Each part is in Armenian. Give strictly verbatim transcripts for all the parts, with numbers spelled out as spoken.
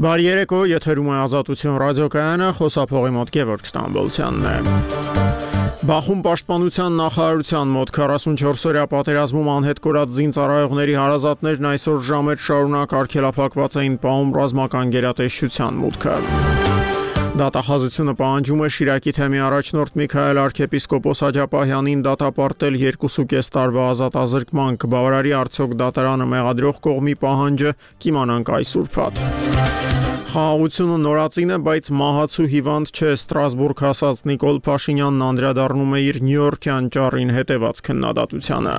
Բարի երեկո, եթերում է Ազատություն ռադիոկայանը, խոսափողի մոտ Գևորգ Ստամբոլցյանն է։ Բախում պաշտպանության նախարարության մոտ քառասունչորս օրյա պատերազմում անհետ կորած զինծառայողների հարազատներն այսօր ժամեր շարունակ արգելափակված էին պահում ռազմական գերատեսչության մուտքը։ Դատախազությունը պահանջում է Շիրակի թեմի առաջնորդ Միքայել arczepiskopos Աջապահյանին դատապարտել երկուսուկես տարվա ազատազրկման, կբավարարի արդյոք դատարանը մեղադրող կողմի պահանջը, կիմանանք այս ուրբաթ։ Խաղաղությունը նորածին է, բայց մահացու հիվանդ չէ, Ստրասբուրգ հասած Նիկոլ Փաշինյանն անդրադառնում է իր նյույորքյան ճառին հետևած քննադատությանը։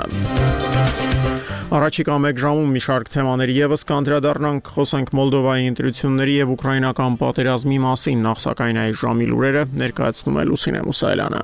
Առաջիկա մեկ ժամում մի շարք թեմաների եւս կանդրադառնանք, խոսենք Մոլդովայի ընտրությունների եւ ուկրաինական պատերազմի մասին, նախ սակայն այս ժամի լուրերը ներկայացնում է Լուսինե Մուսայելյանը։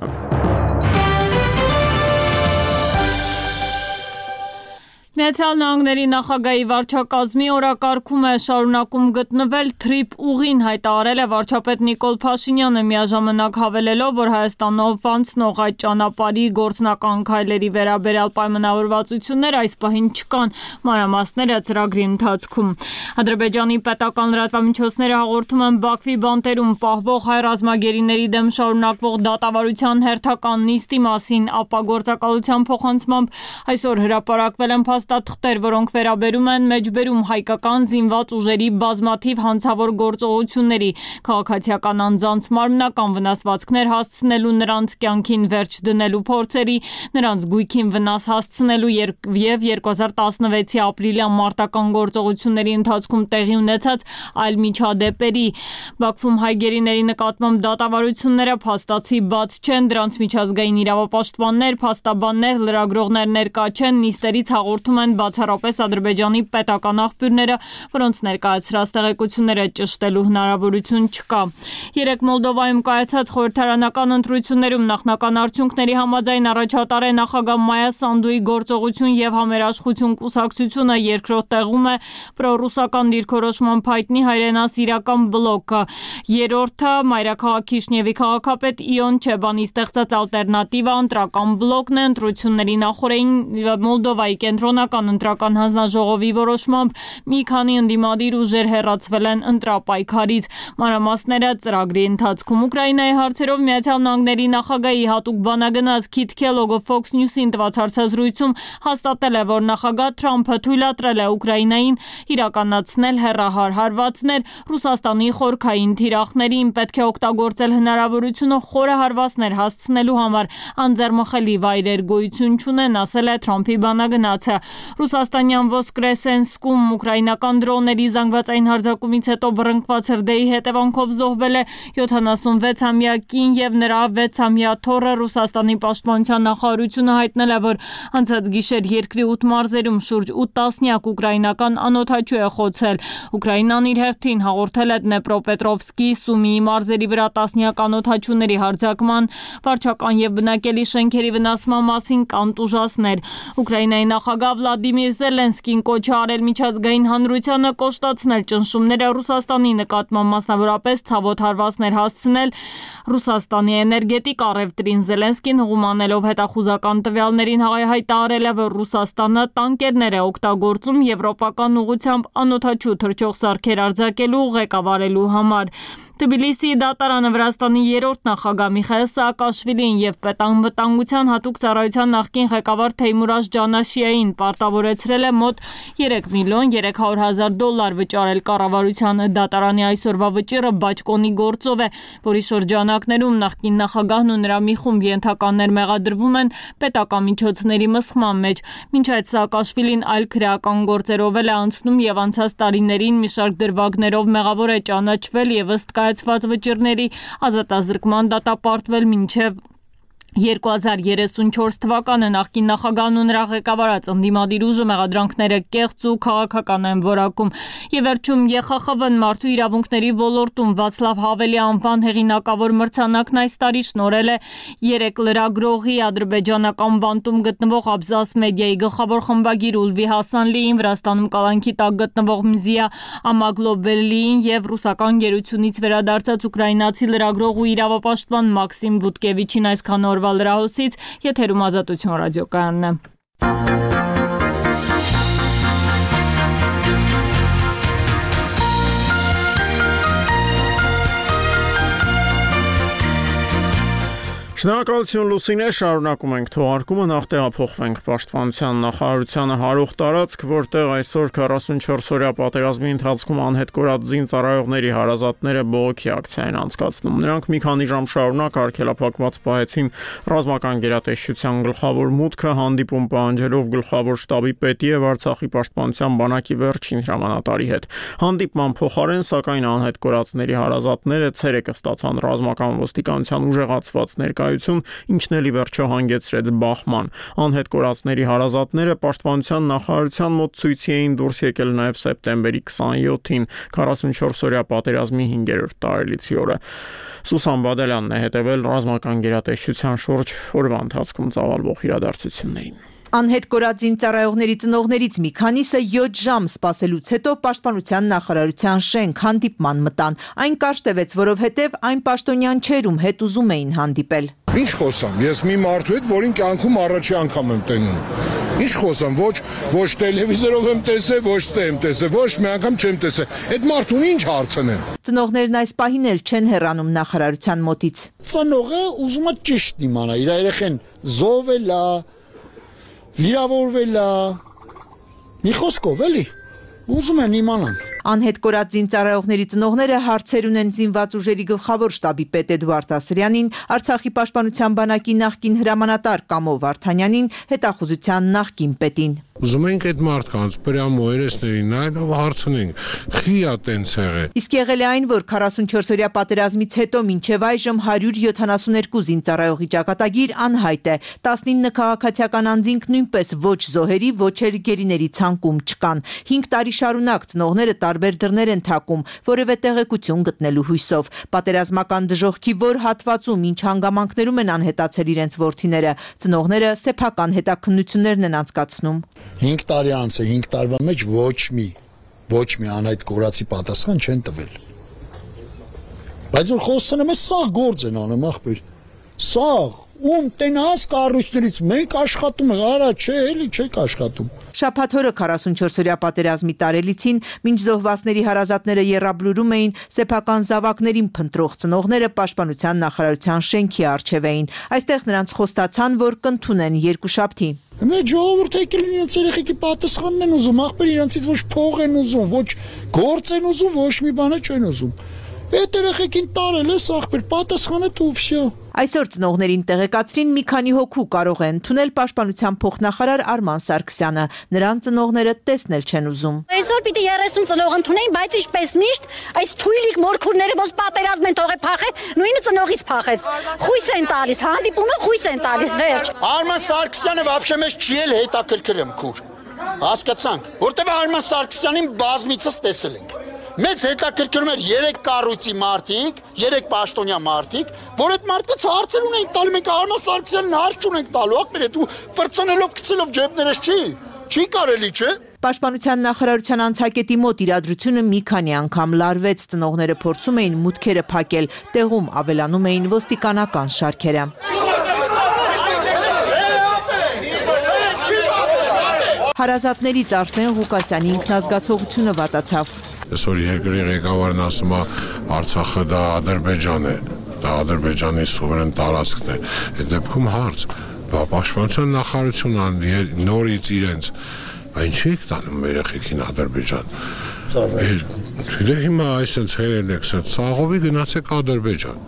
Միացյալ Նահանգների նախագահի վարչակազմի օրակարգում է շարունակում գտնվել թրիփ ուղին, հայտարարել է վարչապետ Նիկոլ Փաշինյանը, միաժամանակ հավելելով, որ Հայաստանով անցնող այդ ճանապարհի գործնական քայլերի վերաբերյալ պայմանավորվածություններ այս պահին չկան, մանրամասները ծրագրի ընթացքում։ Ադրբեջանի պետական լրատվամիջոցները հաղորդում են Բաքվի բանտերում պահվող հայ ռազմագերիների դեմ շարունակվող դատավարության հերթական նիստի մասին, ապա գործակալության փոխանցմամբ այսօր հրապարակվել են փաստաթղթեր, որոնք վերաբերում են մեջբերում հայկական զինված ուժերի բազմաթիվ հանցավոր գործողությունների, քաղաքացիական անձանց մարմնական վնասվածքներ հասցնելու, նրանց կյանքին վերջ դնելու փորձերի, նրանց գույքին վնաս հասցնելու եւ երկու հազար տասնվեցի ապրիլյան մարտական գործողությունների ընթացքում տեղի ունեցած այլ միջադեպերի։ Բաքվում հայ գերիների նկատմամբ դատավարությունները փաստացի բաց չեն, դրանց միջազգային իրավապաշտպաններ, փաստաբաններ, լրագրողներ ներկա չեն, նիստերից հաղորդում են բացառապես Ադրբեջանի պետական աղբյուրները, որոնց ներկայացրած տեղեկությունները ճշտելու հնարավորություն չկա։ Երեկ Մոլդովայում կայացած խորհրդարանական ընտրություններում նախնական արդյունքների համաձայն առաջատար է նախագահ Մայա Սանդուի գործողություն եւ համերաշխություն կուսակցությունը, երկրորդ տեղում է պրոռուսական դիրքորոշման հայտնի հայրենասիրական բլոկը, երրորդը մայրաքաղաք Քիշնևի քաղաքապետ Իոն Չեբանի ստեղծած ալտերնատիվա ընտրական բլոկն է։ Ընտրությունների նախորդին Մոլդովայի կենտրոնական ընտրական հանձնաժողովի որոշմամբ մի քանի ընդդիմադիր ուժեր հեռացվել են ընտրապայքարից, մանրամասները ծրագրի ընթացքում։ Ուկրաինայի հարցերով Միացյալ Նահանգների նախագահի հատուկ բանագնաց Քիթ Քելոգը Fox News-ին տված հարցազրույցում հաստատել է, որ նախագահ Թրամփը թույլատրել է Ուկրաինային իրականացնել հեռահար հարվածներ Ռուսաստանի խորքային թիրախներին, պետք է օգտագործել հնարավորությունը խորը հարվածներ հասցնելու համար, անձեռմխելի վայրեր գոյություն չունեն, ասել է Թրամփի բանագնացը։ Ռուսաստանյան Վոսկրեսենսկում ուկրաինական դրոնների զանգվածային հարձակումից հետո բռնկված հրդեհի հետևանքով զոհվել է յոթանասունվեցամյա կին եւ նրա վեցամյա թոռը։ Ռուսաստանի պաշտպանության նախարարությունը հայտնել է, որ անցած գիշեր երկրի ութ մարզերում շուրջ ութ տասնյակ ուկրաինական անօդաչու է խոցել։ Ուկրաինան իր հերթին հաղորդել է Դնեպրոպետրովսկի, Սումիի մարզերի վրա տասնյակ անօդաչուների հարձակման, վարչական եւ բնակելի շենքերի վնասման մասին կան տուժասներ։ Ուկրաինայի նախագահ Վլադիմիր Զելենսկին կոչ է արել միջազգային հանրությանը կոշտացնել ճնշումները Ռուսաստանի նկատմամբ, մասնավորապես ցավոտ հարվածներ հասցնել Ռուսաստանի էներգետիկ առևտրին։ Զելենսկին հղումանելով հետախուզական տվյալներին հայտարարել է, որ Ռուսաստանը տանկերներ է օգտագործում եվրոպական ուղղությամբ անօդաչու թռչող սարքեր արձակելու, ղեկավարելու համար։ Թբիլիսիի դատարանը Վրաստանի երրորդ նախագահ Միխայիլ Սաակաշվիլիին եւ պետանվտանգության հատուկ ծառայության նախկին ղեկավար Թեյմուրազ Ջանաշիային պարտավորեցրել է մոտ երեք միլիոն երեք հարյուր հազար դոլար վճարել կառավարության։ Դատարանի այսօրվա վճիռը բաճկոնի գործով է, որի շրջանակներում նախկին նախագահն ու նրա մի խումբ ենթականներ մեղադրվում են պետական միջոցների մսխման մեջ։ Մինչ այդ Սաակաշվիլին այլ քրեական գործերով է անցնում եւ անցած տարիներին մի շարք դրվագներով մեղավոր է ճանաչվել եւ ըստ կայացված վճիռների ազատազրկման դատապարտվել մինչև երկու հազար երեսունչորս թվականը նախկին նախագահն ու նրա ղեկավարած ընդդիմադիր ուժը մեղադրանքները կեղծ ու քաղաքական են որակում։ Եվ վերջում Է Խ Խ V-ն մարդու իրավունքների ոլորտում Վացլավ Հավելի անվան հեղինակավոր մրցանակն այս տարի շնորհել է երեք լրագրողի, ադրբեջանական բանտում գտնվող Աբզաս մեդիայի գլխավոր խմբագիր Ուլվի Հասանլիին, Վրաստանում կալանքի տակ գտնվող Մզիա Ամագլոբելիին եւ ռուսական գերությունից վերադարձած ուկրաինացի լրագրող ու իրավապաշտպան Մաքսիմ Բուտկևիչին այսքան օր լրահոսից, եթերում Ազատություն ռադիոկայանն է։ Շնորհակալություն Լուսինե, շարունակում ենք թողարկումը, նախ տեղափոխվենք Պաշտպանության նախարարությանը հարող տարածք, որտեղ այսօր քառասունչորս-օրյա պատերազմի ընթացքում անհետ կորած զինծառայողների հարազատները բողոքի ակցիա են անցկացնում։ Նրանք մի քանի ժամ շարունակ արգելափակված պահեցին ռազմական գերատեսչության գլխավոր մուտքը, հանդիպում պահանջելով գլխավոր շտաբի պետի եւ Արցախի պաշտպանության բանակի վերջին հրամանատարի հետ։ Հանդիպման փոխարեն, սակայն անհետ կորածների հարազատները ցերեկը ստացան ռազմական ոստիկանության ուժեղացված ներկայություն, ինչն էլի վերջո հանգեցրեց բախման։ Անհետ կորածների հարազատները պաշտպանության նախարարության մոտ ցույցի էին դուրս եկել նաև սեպտեմբերի քսաներկուին, քառասունչորս-օրյա պատերազմի հինգերորդ տարելիցի օրը։ Սուսան Բադալյանն է հետևել ռազմական գերատեսչության շուրջ օրվա ընթացքում ծավալվող իրադարձություններին։ Անհետ կորած զինծառայողների ծնողներից մի քանիսը յոթ ժամ սպասելուց հետո պաշտպանության նախարարության շենք հանդիպման մտան։ Այն կարճ տևեց, որովհետև այն պաշտոնյան չէր, ում հետ ուզում էին հանդիպել։ Ինչ խոսամ, ես մի մարդու հետ, որին կյանքում առաջի անգամ եմ տենում։ Ինչ խոսամ, ոչ ոչ տելևիզորով եմ տեսել, ոչ թե եմ տեսել, ոչ մի անգամ չեմ տեսել։ Այդ մարդուն ինչ հարցնեմ։ Ծնողներն այս պահին էլ չեն հեռանում նախարարության մոտից։ Ծնողը ուզում է ճիշտ իմանա, իր երեխեն զոհվել է, վիրավորվել է, մի խոսքով էլի, ուզում են իմանան։ Անհետ կորած զինծառայողների ծնողները հարցեր ունեն զինված ուժերի գլխավոր շտաբի պետ Էդուարդ Ասրյանին, Արցախի պաշտպանության բանակի նախկին հրամանատար Կամո Վարդանյանին, հետախուզության նախկին պետին։ Ուզում ենք այդ մարդկանց պրյամո երեսներին նայելով հարցնենք, խի է տենց եղել։ Իսկ եղել է այն, որ քառասունչորս-օրյա պատերազմից հետո մինչև այժմ հարյուր յոթանասուներկու զինծառայողի ճակատագիր անհայտ է։ տասնինը քաղաքացիական անձինք նույնպես ոչ զոհերի, ոչ էլ գերիների ցանկում չկան։ հինգ տարի շարունակ ծնողները տարբեր դռներ են թակում, որևէ տեղեկություն գտնելու հույսով։ Պատերազմական դժոխքի որ հատվածում ինչ հանգամանքներում են անհետացել իրենց որդիները, ծնողները սեփական հետաքննություններն են անցկացնում։ հինգ տարի անց է, հինգ տարվա մեջ ոչ մի, ոչ մի անհայտ կորածի պատասխան չեն տվել։ Բայց որ խոսում եմ, սաղ գործ են անում, ախպեր։ Սաղ, ում տենաս կառույցներից մենք աշխատում ենք, արա, չէ, էլի չեք աշխատում։ Շաբաթօրը քառասունչորս-օրյա պատերազմի տարելիցին, մինչ զոհվածների հարազատները եռաբլուրում էին, սեփական զավակներին փնտրող ծնողները պաշտպանության նախարարության շենքի առջև էին։ Այստեղ նրանց խոստացան, որ կընդունեն երկուշաբթի։ Մեր ժողովուրդը եկել իրենց երեխեքի պատասխանն են ուզում, ախպեր իրանցից ոչ փող են ուզում, ոչ գործ են ուզում, ոչ մի բան չեն ուզում։ Այդ երեխեքին տարել ես, ախպեր, պատասխանը դու վсё։ Այսօր ծնողներին տեղեկացրին մի քանի հոգու կարող են ընդունել պաշտպանության փոխնախարար Արման Սարգսյանը։ Նրան ծնողները տեսնել չեն ուզում։ Այսօր պիտի երեսուն ծնող ընդունեին, բայց ինչպես միշտ այս թույլիկ մորքուրները ոնց պատերազմ են թողե փախե, նույնը ծնողից փախեց։ Խույս են տալիս, հանդիպումը խույս են տալիս, վերջ։ Արման Սարգսյանը вообще մեզ չի էլ հետաքրքրում քուր։ Հասկացանք, որտեվ Արման Սարգսյանին բազմիցս տեսել ենք։ Մեծ հետաքրքրում էր երեք կառույցի մարդիկ, երեք պաշտոնյա մարդիկ, որ այդ մարդկանց հարցեր ունենք տալու, մենք Արման Սարգսյանին հարց չունենք տալու, ախպեր, դու ֆրցնելով գցելով ջեբներս չի, չի կարելի, չէ։ Պաշտպանության նախարարության անցակետի մոտ իրադրությունը մի քանի անգամ լարվեց, ծնողները փորձում էին մուտքերը փակել, տեղում ավելանում էին ոստիկանական շարքերը։ Հարազատներից Արսեն Ղուկասյանի ինքնազգացողությունը վատացավ։ Այսօր երկրի ղեկավարն ասում է Արցախը դա Ադրբեջան է, դա Ադրբեջանի սուվերեն տարածքն է։ Այդ դեպքում հարց, բա պաշտպանության նախարարությունը նորից իրենց, այն չի տանում երեխեքին Ադրբեջան։ Դե հիմա այսպես հերել եք, ցաղովի գնացեք Ադրբեջան։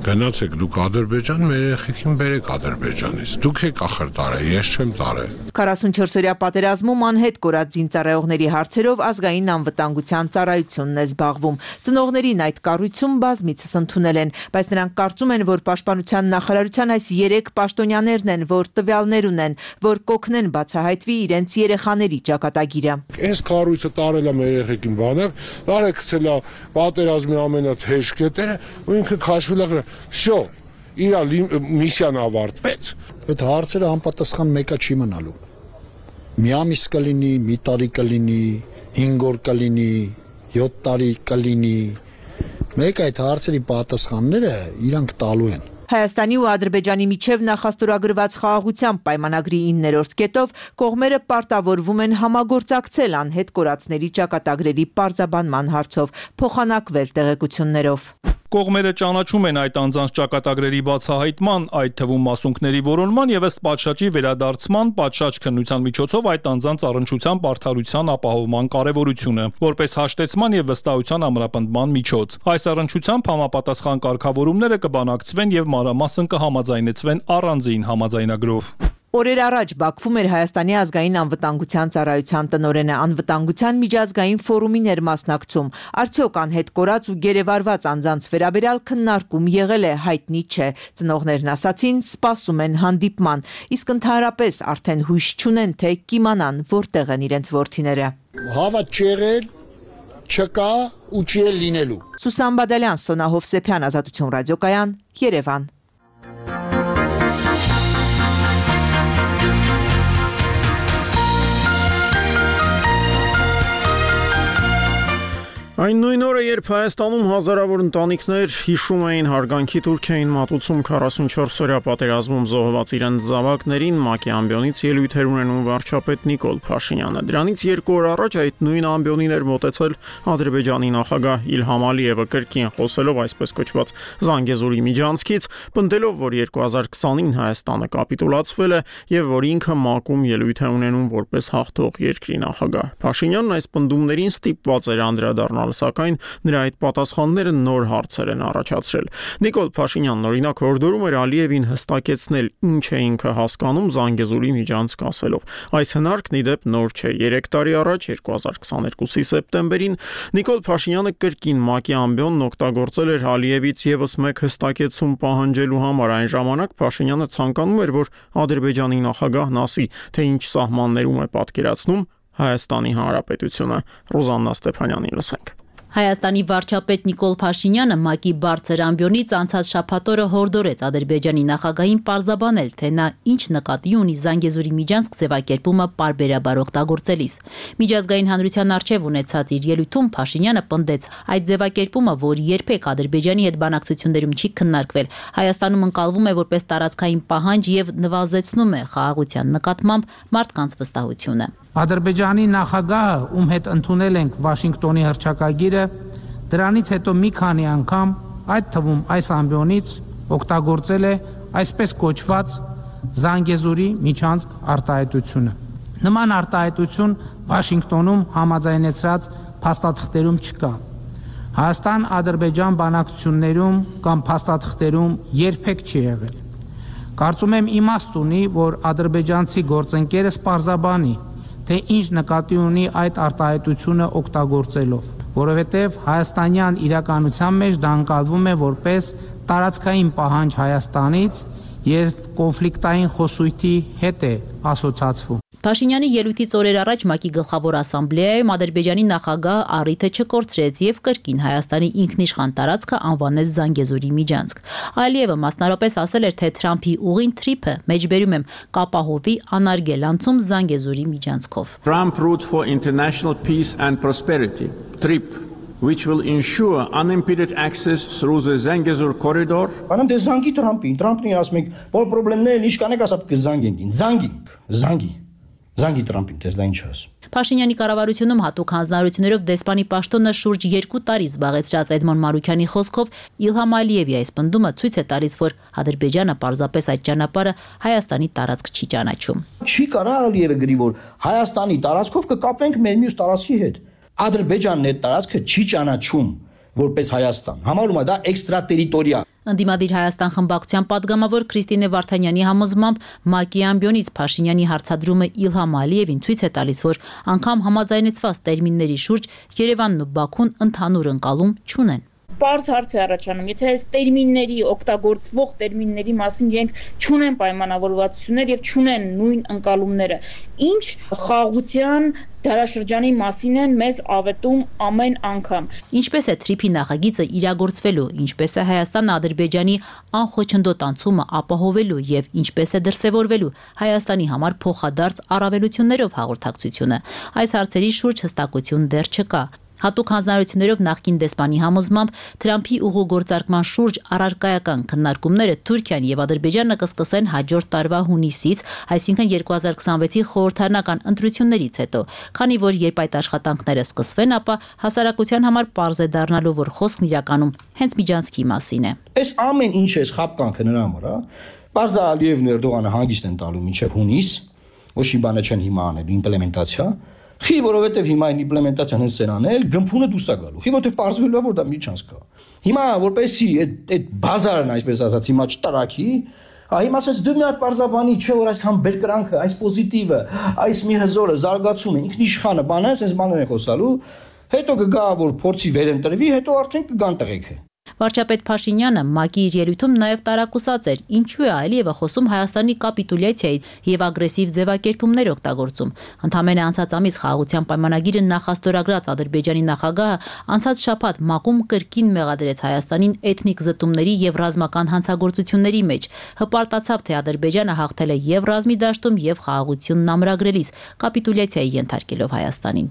Գնացեք դուք Ադրբեջան, մեր երեխեքին բերեք Ադրբեջանից։ Դուք եք ախր տարել, ես չեմ տարել։ քառասունչորս-օրյա պատերազմում անհետ կորած զինծառայողների հարցերով ազգային անվտանգության ծառայությունն է զբաղվում։ Ծնողներին այդ կառույցում բազմիցս ընդունել են, բայց նրանք կարծում են, որ պաշտպանության նախարարության այս երեք պաշտոնյաներն են, որ տվյալներ ունեն, որ կօգնեն բացահայտվի իրենց երեխաների ճակատագիրը։ Այս կառույցը տարել է մեր երեխեքին բանակ, տարել գցել է պատերազմի ամենաթեժ կետերը, ու ինքը քաշվել է։ Всё, իր միսիան ավարտվեց։ Այդ հարցերը անպատասխան մեկը չի մնալու։ Մի ամիս կլինի, մի տարի կլինի, հինգ օր կլինի, յոթ տարի կլինի։ Մեկ այդ հարցերի պատասխանները իրանք տալու են։ Հայաստանի ու Ադրբեջանի միջև նախաստորագրված խաղաղության պայմանագրի իններորդ կետով կողմերը պարտավորվում են համագործակցել անհետ կորածների ճակատագրերի պարզաբանման հարցով, փոխանակվել տեղեկություններով։ Կողմերը ճանաչում են այդ անձանց ճակատագրերի բացահայտման, այդ թվում մասունքների որոնման եւ ըստ պատշաճի վերադարձման, պատշաճ քննության միջոցով այդ անձանց առնչության բարդարության ապահովման կարեւորությունը, որպես հաշտեցման եւ վստահության ամրապնդման միջոց։ Այս առնչությամբ համապատասխան կարգավորումները կբանակցվեն եւ մանրամասն կհամաձայնեցվեն առանձին համաձայնագրով։ Օրեր առաջ Բաքվում էր Հայաստանի ազգային անվտանգության ծառայության տնօրենը անվտանգության միջազգային ֆորումին էր մասնակցում։ Արդյոք անհետ կորած ու գերեվարված անձանց վերաբերյալ քննարկում եղել է, հայտնի չէ։ Ծնողներն ասացին, սպասում են հանդիպման, իսկ ընդհանրապես արդեն հույս չունեն, թե կիմանան որտեղ են իրենց որդիները։ Հավատ չի եղել, չկա ու չի էլ լինելու։ Սուսան Բադալյան, Սոնա Հովսեփյան, Ազատություն ռադիոկայան, Երևան։ Այն նույն օրը, երբ Հայաստանում հազարավոր ընտանիքներ հիշում էին հարգանքի տուրք էին մատուցում քառասունչորս-օրյա պատերազմում զոհված իրենց զավակներին, ՄԱԿ-ի ամբիոնից ելույթեր ունենում վարչապետ Նիկոլ Փաշինյանը։ Դրանից երկու օր առաջ այդ նույն ամբիոնին էր մոտեցել Ադրբեջանի նախագահ Իլհամ Ալիևը, կրկին խոսելով այսպես կոչված Զանգեզուրի միջանցքից, պնդելով, որ երկու հազար քսանին Հայաստանը կապիտուլացվել է եւ որ ինքը ՄԱԿ-ում ելույթ է ունենում որպես հաղթող երկրի նախագահ։ Փաշինյանն այս պնդումներին ստիպված էր անդրադառնալ, սակայն նրա այդ պատասխանները նոր հարցեր են առաջացրել։ Նիկոլ Փաշինյանն օրինակ հորդորում էր Ալիևին հստակեցնել, ինչ է ինքը հասկանում Զանգեզուրի միջանցք ասելով։ Այս հնարքն ի դեպ նոր չէ։ երեք տարի առաջ երկու հազար քսաներկուսի սեպտեմբերին Նիկոլ Փաշինյանը կրկին ՄԱԿ-ի ամբիոնն օգտագործել էր Ալիևից եւս մեկ հստակեցում պահանջելու համար։ Այն ժամանակ Փաշինյանը ցանկանում էր, որ Ադրբեջանի նախագահն ասի, թե ինչ սահմաններում է պատկերացնում Հայաստանի Հանրապետությունը։ Ռոզաննա Ստեփանյանին լսենք։ Հայաստանի վարչապետ Նիկոլ Փաշինյանը ՄԱԿ-ի բարձր ամբիոնից անցած շաբաթօրը հորդորեց Ադրբեջանի նախագահին պարզաբանել, թե նա ինչ նկատի ունի Զանգեզուրի միջանցք ձևակերպումը պարբերաբար օգտագործելիս։ Միջազգային հանրության առջև ունեցած իր ելույթում Փաշինյանը պնդեց, այդ ձևակերպումը, որ երբեք Ադրբեջանի հետ բանակցություններում չի քննարկվել, Հայաստանում ընկալվում է որպես տարածքային պահանջ եւ նվազեցնում է խաղաղության նկատմամբ մարդկանց վստահությունը։ Ադրբեջանի նախագահը, ում հետ ընդունել ենք Վաշինգտոնի հռչակագիրը, դրանից հետո մի քանի անգամ, այդ թվում այս ամբիոնից օգտագործել է այսպես կոչված Զանգեզուրի միջանցք արտահայտությունը։ Նման արտահայտություն Վաշինգտոնում համաձայնեցրած փաստաթղթերում չկա։ Հայաստան-Ադրբեջան բանակցություններում կամ փաստաթղթերում երբեք չի եղել։ Կարծում եմ իմաստ ունի, որ ադրբեջանցի գործընկերս պարզաբանի, թե ինչ նկատի ունի այդ արտահայտությունը օգտագործելով, որովհետև հայաստանյան իրականության մեջ դա ընկալվում է որպես տարածքային պահանջ Հայաստանից եւ կոնֆլիկտային խոսույթի հետ է ասոցացվում։ Փաշինյանի ելույթից օրեր առաջ ՄԱԿ-ի գլխավոր ասամբլեայում Ադրբեջանի նախագահը առիթը չկորցրեց եւ կրկին Հայաստանի ինքնիշխան տարածքը անվանեց Զանգեզուրի միջանցք։ Ալիևը մասնարարպես ասել էր, թե Թրամփի ուղին թրիփը, մեջբերում եմ, կապահովի անարգել անցում Զանգեզուրի միջանցքով։ Trump route for international peace and prosperity, TRIP, which will ensure unimpeded access through the Zangezur corridor. Բանամ դե Զանգի Թրամփին, Թրամփին ասում եք, որ խնդիրները ինչ կանեք, ասապ կզանգենք, զանգենք, զանգի։ Զանգի Թրամփին, դες դա ինչ ասում։ Փաշինյանի կառավարությունում հատուկ հանձնարարություններով դեսպանի պաշտոնը շուրջ երկու տարի զբաղեցրած Էդմոն Մարուքյանի խոսքով Իլհամ Ալիևի այս պնդումը ցույց է տալիս, որ Ադրբեջանը պարզապես այդ ճանապարհը Հայաստանի տարածք չի ճանաչում։ Չի կարա Ալիևը գրի, որ Հայաստանի տարածքով կկապենք մեր մյուս տարածքի հետ։ Ադրբեջանն այդ տարածքը չի ճանաչում որպես Հայաստան։ Համարում է դա էքստրատերիտորիալ։ Ընդդիմադիր Հայաստան խմբակցության падգամավոր Քրիստինե Վարդանյանի համոզմամբ ՄԱԿ-ի ամբիոնից Փաշինյանի հարցադրումը Իլհամ Ալիևին ցույց է տալիս, որ անգամ համաձայնեցված տերմինների շուրջ Երևանն ու Բաքուն ընդհանուր ընկալում չունեն։ Պարզ հարց է առաջանում, եթե այս տերմինների, օգտագործվող տերմինների մասին իրենք չունեն պայմանավորվածություններ եւ չունեն նույն ընկալումները, ինչ խաղաղության դարաշրջանի մասին են մեզ ավետում ամեն անգամ։ Ինչպես է թրիփի նախագիծը իրագործվելու, ինչպես է Հայաստան-Ադրբեջանի անխոչնդոտ անցումը ապահովելու եւ ինչպես է դրսեւորվելու Հայաստանի համար փոխադարձ առավելություններով հաղորդակցությունը։ Այս հարցերի շուրջ հստակություն դեռ չկա։ Հատուկ հանձնարարություններով նախկին դեսպանի համոզմամբ Թրամփի ուղու գործարկման շուրջ առարկայական քննարկումները Թուրքիան եւ Ադրբեջանը կսկսեն հաջորդ տարվա հունիսից, այսինքն երկու հազար քսանվեցի խորհրդարանական ընտրություններից հետո, քանի որ երբ այդ աշխատանքները սկսվեն, ապա հասարակության համար պարզ է դառնալու, որ խոսքն իրականում հենց միջանցքի մասին է։ Այս ամեն ինչ է խապկանքը նրա համար, Պարզ է Ալիևն ու Էրդողանը հանգիստ են տալու մինչև հունիս, ոչ մի բան չեն հիմա անել, իմպլեմենտացիա։ Խի, որովհետև հիմա այն իմպլեմենտացիան հենց են անել, գմփունը դուրս է գալու։ Խի, որովհետև պարզվելու է, որ դա միջանց կա։ Հիմա որպեսի այդ այդ բազարն, այսպես ասած, հիմա չտարակի, հիմա ասես դու մի հատ պարզաբանի, չէ որ այսքան բերկրանքը, այս պոզիտիվը, այս մի հզորը զարգացումը, ինքնիշխանը բանը, այսպես բաներ են խոսալու, հետո կգա որ փորձի վերընտրվի, հետո արդեն կգան տղեկը։ Վարչապետ Փաշինյանը ՄԱԿ-ի իր ելույթում նաև տարակուսած էր, ինչու է Ալիևը խոսում Հայաստանի կապիտուլյացիայից եւ ագրեսիվ ձևակերպումներ օգտագործում։ Ընդամենը անցած ամիս խաղաղության պայմանագիրը նախաստորագրած Ադրբեջանի նախագահը անցած շաբաթ ՄԱԿ-ում կրկին մեղադրեց Հայաստանին էթնիկ զտումների եւ ռազմական հանցագործությունների մեջ։ Հպարտացավ, թե Ադրբեջանը հաղթել է եւ ռազմի դաշտում եւ խաղաղությունն ամրագրելիս, կապիտուլյացիայի ենթարկելով Հայաստանին։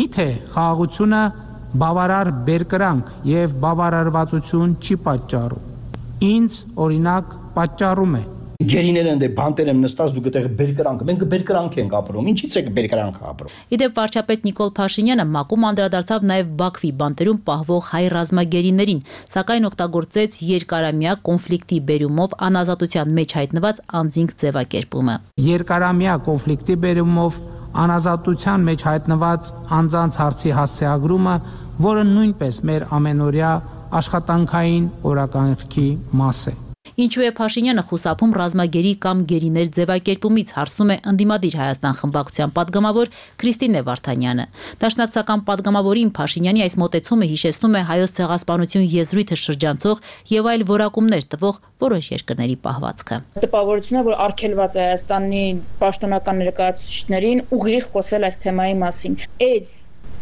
Միթե խաղաղությունը բավարար բերկրանք եւ բավարարվածություն չի պատճառում։ Ինձ օրինակ պատճառում է։ Գերիները ընդ բանտեր եմ նստած դու գտեղ բերկրանք, մենք բերկրանք ենք ապրում։ Ինչից է բերկրանքը ապրում։ Իդեպ վարչապետ Նիկոլ Փաշինյանը ՄԱԿ-ում անդրադարձավ նաև Բաքվի բանտերում պահվող հայ ռազմագերիներին, սակայն օգտագործեց երկարամյա կոնֆլիկտի բերումով անազատության մեջ հայտնված անձինք ձևակերպումը։ Երկարամյա կոնֆլիկտի բերումով անազատության մեջ հայտնված անձանց հարցի հասցեագրումը, որը նույնպես մեր ամենօրյա աշխատանքային օրակարգի մաս է։ Ինչու է Փաշինյանը խուսափում ռազմագերի կամ գերիներ ձևակերպումից, հարցնում է ընդդիմադիր Հայաստան խմբակցության падգամավոր Քրիստինե Վարդանյանը։ Դաշնակցական падգամավորին Փաշինյանի այս մոտեցումը հիշեցնում է հայոց ցեղասպանություն եզրույթը շրջանցող եւ այլ որակումներ տվող որոշ երկրների պահվածքը։ Տպավորությունն է, որ արգելված է Հայաստանի պաշտոնական ներկայացուցիչներին ուղիղ խոսել այս թեմայի մասին։ Այս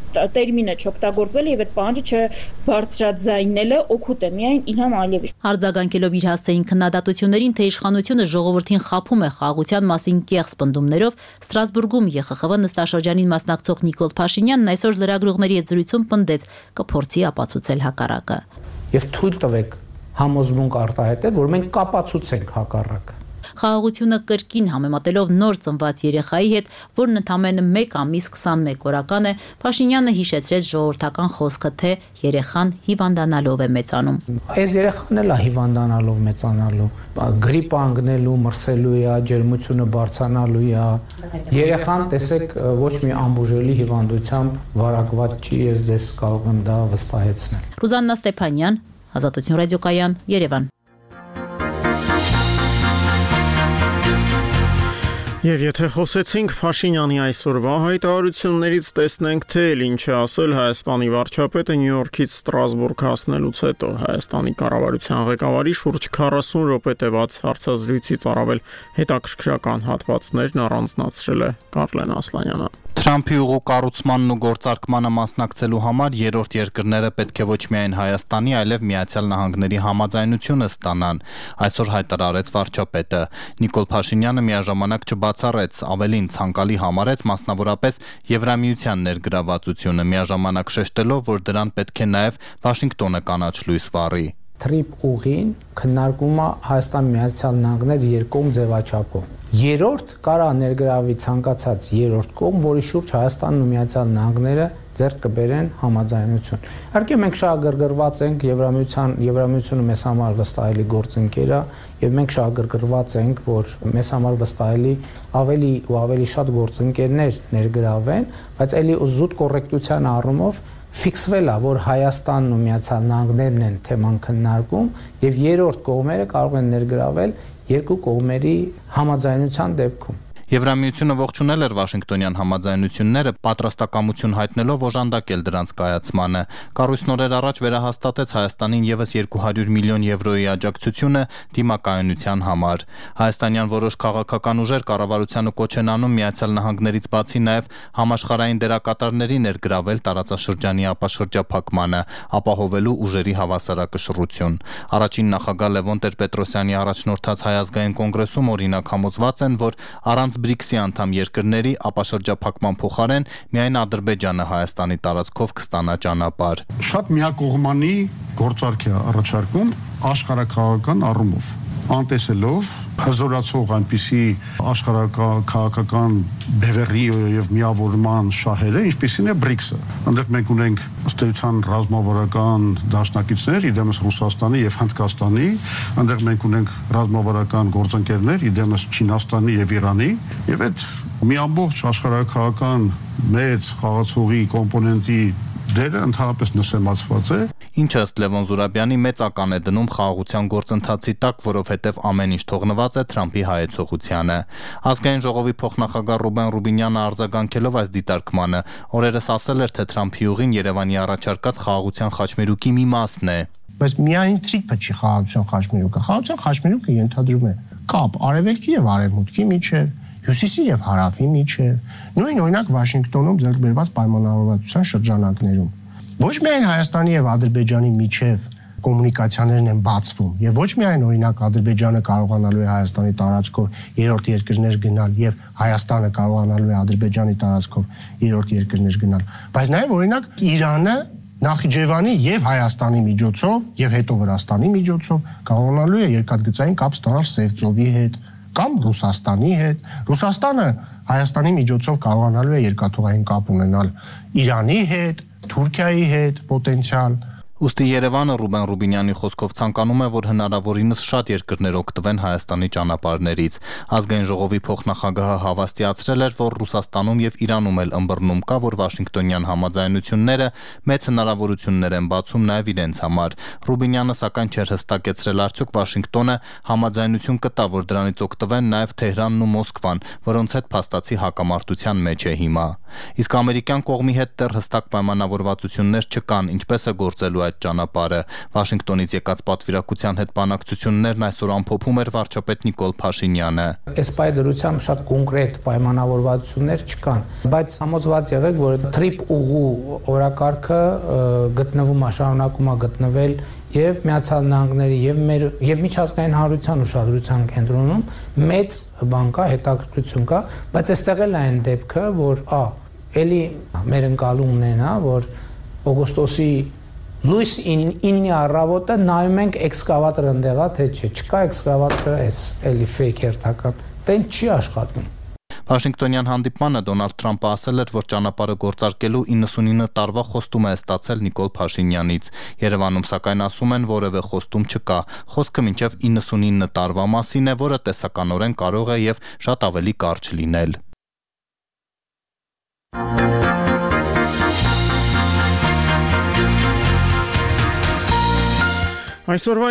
տերմինը չօգտագործել եւ այդ պահանջը չբարձրաձայնելը օգուտ է միայն Իլհամ Ալիևի։ Արձագանքելով իր հասցեին քննադատություններին, թե իշխանությունը ժողովրդին խափում է խաղաղության մասին կեղծ պնդումներով, Ստրասբուրգում ԵԽԽՎ նստաշրջանին մասնակցող Նիկոլ Փաշինյանն այսօր լրագրողների հետ զրույցում պնդեց, կփորձի ապացուցել հակառակը։ Եվ թույլ տվեք համոզմունք արտահայտել, որ մենք կապացուցենք հակառակը։ Խաղաղությունը կրկին համեմատելով նոր ծնված երեխայի հետ, որն ընդամենը մեկ ամիս քսանմեկ օրական է, Փաշինյանը հիշեցրեց ժողովրդական խոսքը, թե երեխան հիվանդանալով է մեծանում։ Այս երեխան էլ է հիվանդանալով մեծանալու, գրիպ անգնելու, մրսելու է, ջերմությունը բարձրանալու է։ Երեխան, տեսեք, ոչ մի անբուժելի հիվանդությամբ վարակված չի, ես դες կարող եմ դա վստահեցնել։ Ռուզաննա Ստեփանյան, Ազատություն ռադիոկայան, Երևան։ Եվ եթե խոսեցինք Փաշինյանի այսօրվա հայտարարություններից, տեսնենք, թե ինչ է ասել Հայաստանի վարչապետը Նյու Յորքից Ստրասբուրգ հասնելուց հետո։ Հայաստանի կառավարության ղեկավարի շուրջ քառասուն րոպե տևած հարցազրույցից առավել հետաքրքրական հատվածներն առանձնացրել է Կարլեն Ասլանյանը։ Թրամփի ուղու կառուցմանն ու գործարկմանը մասնակցելու համար երրորդ երկրները պետք է ոչ միայն Հայաստանի, այլև Միացյալ Նահանգների համաձայնությունը ստանան, այսօր հայտարարեց վարչապետը։ Նիկոլ Փաշինյանը միաժամանակ չբացառեց, ավելին ցանկալի համարեց մասնավորապես Եվրամիության ներգրավվածությունը, միաժամանակ շեշտելով, որ դրան պետք է նաև Վաշինգտոնը կանաչ լույս վառի։ Թրիպ ուղին քննարկումը Հայաստան Միացյալ Նահանգներ երկկողմ ձևաչափով։ Երրորդ կարա ներգրավի ցանկացած երրորդ կողմ, որի շուրջ Հայաստանն ու Միացյալ Նահանգները ձեռք կբերեն համաձայնություն։ Իհարկե մենք շահագրգռված ենք Եվրամիության, Եվրամիությունը մեզ համար վստահելի գործընկեր է, եւ մենք շահագրգռված ենք, որ մեզ համար վստահելի ավելի ու ավելի շատ գործընկերներ ներգրավեն, բայց ելի զուտ կոռեկտության առումով ֆիքսվել է, որ Հայաստանն ու Միացյալ Նահանգներն են թեման քննարկում եւ երրորդ կողմերը կարող են ներգրավել երկու կողմերի համաձայնության դեպքում։ Եվրամիությունը ողջունել էր Վաշինգտոնյան համաձայնությունները, պատրաստակամություն հայտնելով օժանդակել դրանց կայացմանը։ Կառույցն օրեր առաջ վերահաստատեց Հայաստանին ևս երկու հարյուր միլիոն եվրոյի աջակցությունը դիմակայունության համար։ Հայաստանյան որոշ քաղաքական ուժեր կառավարությանը կոչ են անում Միացյալ Նահանգներից բացի նաև համաշխարհային դերակատարների ներգրավել տարածաշրջանի ապաշրջափակմանը, ապահովելու ուժերի հավասարակշռություն։ Առաջին նախագահ Լևոն Տեր-Պետրոսյանի առաջնորդած Հայ ազգային կոնգրեսում օրինակ համոզված են, որ առանց բրիքսի անդամ երկրների ապաշրջափակման փոխարեն միայն Ադրբեջանը Հայաստանի տարածքով կստանա ճանապարհ։ Շատ միակողմանի գործարք է առաջարկում աշխարհաքաղաքական առումով, անտեսելով հզորացող այնպիսի աշխարհաքաղաքական բևեռի եւ միավորման շահերը, ինչպիսին է բրիքսը։ Այնտեղ մենք ունենք ըստ էության ռազմավարական դաշնակիցներ իդեմս Ռուսաստանի եւ Հնդկաստանի, այնտեղ մենք ունենք ռազմավարական գործընկերներ իդեմս Չինաստանի եւ Իրանի, եւ այդ մի ամբողջ աշխարհաքաղաքական մեծ խաղացողի կոմպոնենտի դերը ընդհանրապես նսեմացված է։ Ինչը ըստ Լևոն Զուրաբյանի մեծ ական է դնում խաղաղության գործընթացի տակ, որովհետև ամեն ինչ թողնված է Թրամփի հայեցողությանը։ Ազգային ժողովի փոխնախագահ Ռուբեն Ռուբինյանը արձագանքելով այս դիտարկմանը օրերս ասել էր, թե Թրամփի ուղին Երևանի առաջարկած խաղաղության խաչմերուկի մի մասն է։ Բայց միայն Թրիփը չի խաղաղության խաչմերուկը։ Խաղաղության խաչմերուկը ենթադրում է կապ արևելքի եւ արևմուտքի միջեւ, հյուսիսի եւ հարավի միջեւ, նույն օրինակ Վաշինգտոնում ձեռք բերված պայմանավորվածության շրջանակներում։ Ոչ միայն Հայաստանի եւ Ադրբեջանի միջև կոմունիկացիաներն են բացվում եւ ոչ միայն օրինակ Ադրբեջանը կարողանալու է Հայաստանի տարածքով երրորդ երկրներ գնալ եւ Հայաստանը կարողանալու է Ադրբեջանի տարածքով երրորդ երկրներ գնալ, բայց նաեւ օրինակ Իրանը Նախիջևանի եւ Հայաստանի միջոցով եւ հետո Վրաստանի միջոցով կարողանալու է երկաթգծային կապ ստանալ Սևծովի հետ կամ Ռուսաստանի հետ։ Ռուսաստանը Հայաստանի միջոցով կարողանալու է երկաթուղային կապ ունենալ Իրանի հետ, Թուրքիայի հետ պոտենցիալ։ Ուստի Երևանը Ռուբեն Ռուբինյանի խոսքով ցանկանում է, որ հնարավորինս շատ երկրներ օգտվեն Հայաստանի ճանապարհներից։ Ազգային ժողովի փոխնախագահը հավաստիացրել էր, որ Ռուսաստանում եւ Իրանում էլ ըմբռնում կա, որ Վաշինգտոնյան համաձայնությունները մեծ հնարավորություններ են բացում նաեւ իրենց համար։ Ռուբինյանը սակայն չէր հստակեցրել, արդյոք Վաշինգտոնը համաձայնություն կտա, որ դրանից օգտվեն նաեւ Թեհրանն ու Մոսկվան, որոնց հետ փաստացի հակամարտության մեջ է հիմա։ Իսկ ամերիկյան կողմի հետ դեռ հստակ պայմանավորվածություններ չկան, ինչպես է գործելու այդ ճանապարհը։ Վաշինգտոնից եկած պատվիրակության հետ բանակցություններն այսօր ամփոփում էր վարչապետ Նիկոլ Փաշինյանը։ Այս պայմանավորվածությամբ շատ կոնկրետ պայմանավորվածություններ չկան, բայց համոզված եղեք, որ Թրիփ ուղու օրակարգը գտնվում է, շարունակում է գտնվել եւ Միացյալ Նահանգների եւ մեր եւ միջազգային հանրության ուշադրության կենտրոնում մեծ բան կա, հետաքրքրություն կա, բայց այստեղ էլ այն դեպքը, որ ա էլի մեր ընկալումն է նա, որ օգոստոսի լույս ինի առավոտը նայում ենք էքսկավատորը ընդեղա, թե չէ, չկա էքսկավատորը, էս էլի ֆեյք հերթական, տեն չի աշխատում։ Վաշինգտոնյան հանդիպմանը Դոնալդ Թրամփը ասել էր, որ ճանապարհը գործարկելու իննսունինը տարվա խոստում է ստացել Նիկոլ Փաշինյանից։ Երևանում սակայն ասում են, որևէ խոստում չկա։ Խոսքը մինչև իննսունինը տարվա մասին է, որը տեսականորեն կարող է եւ շատ ավելի կարճ լինել։ Այսօրվա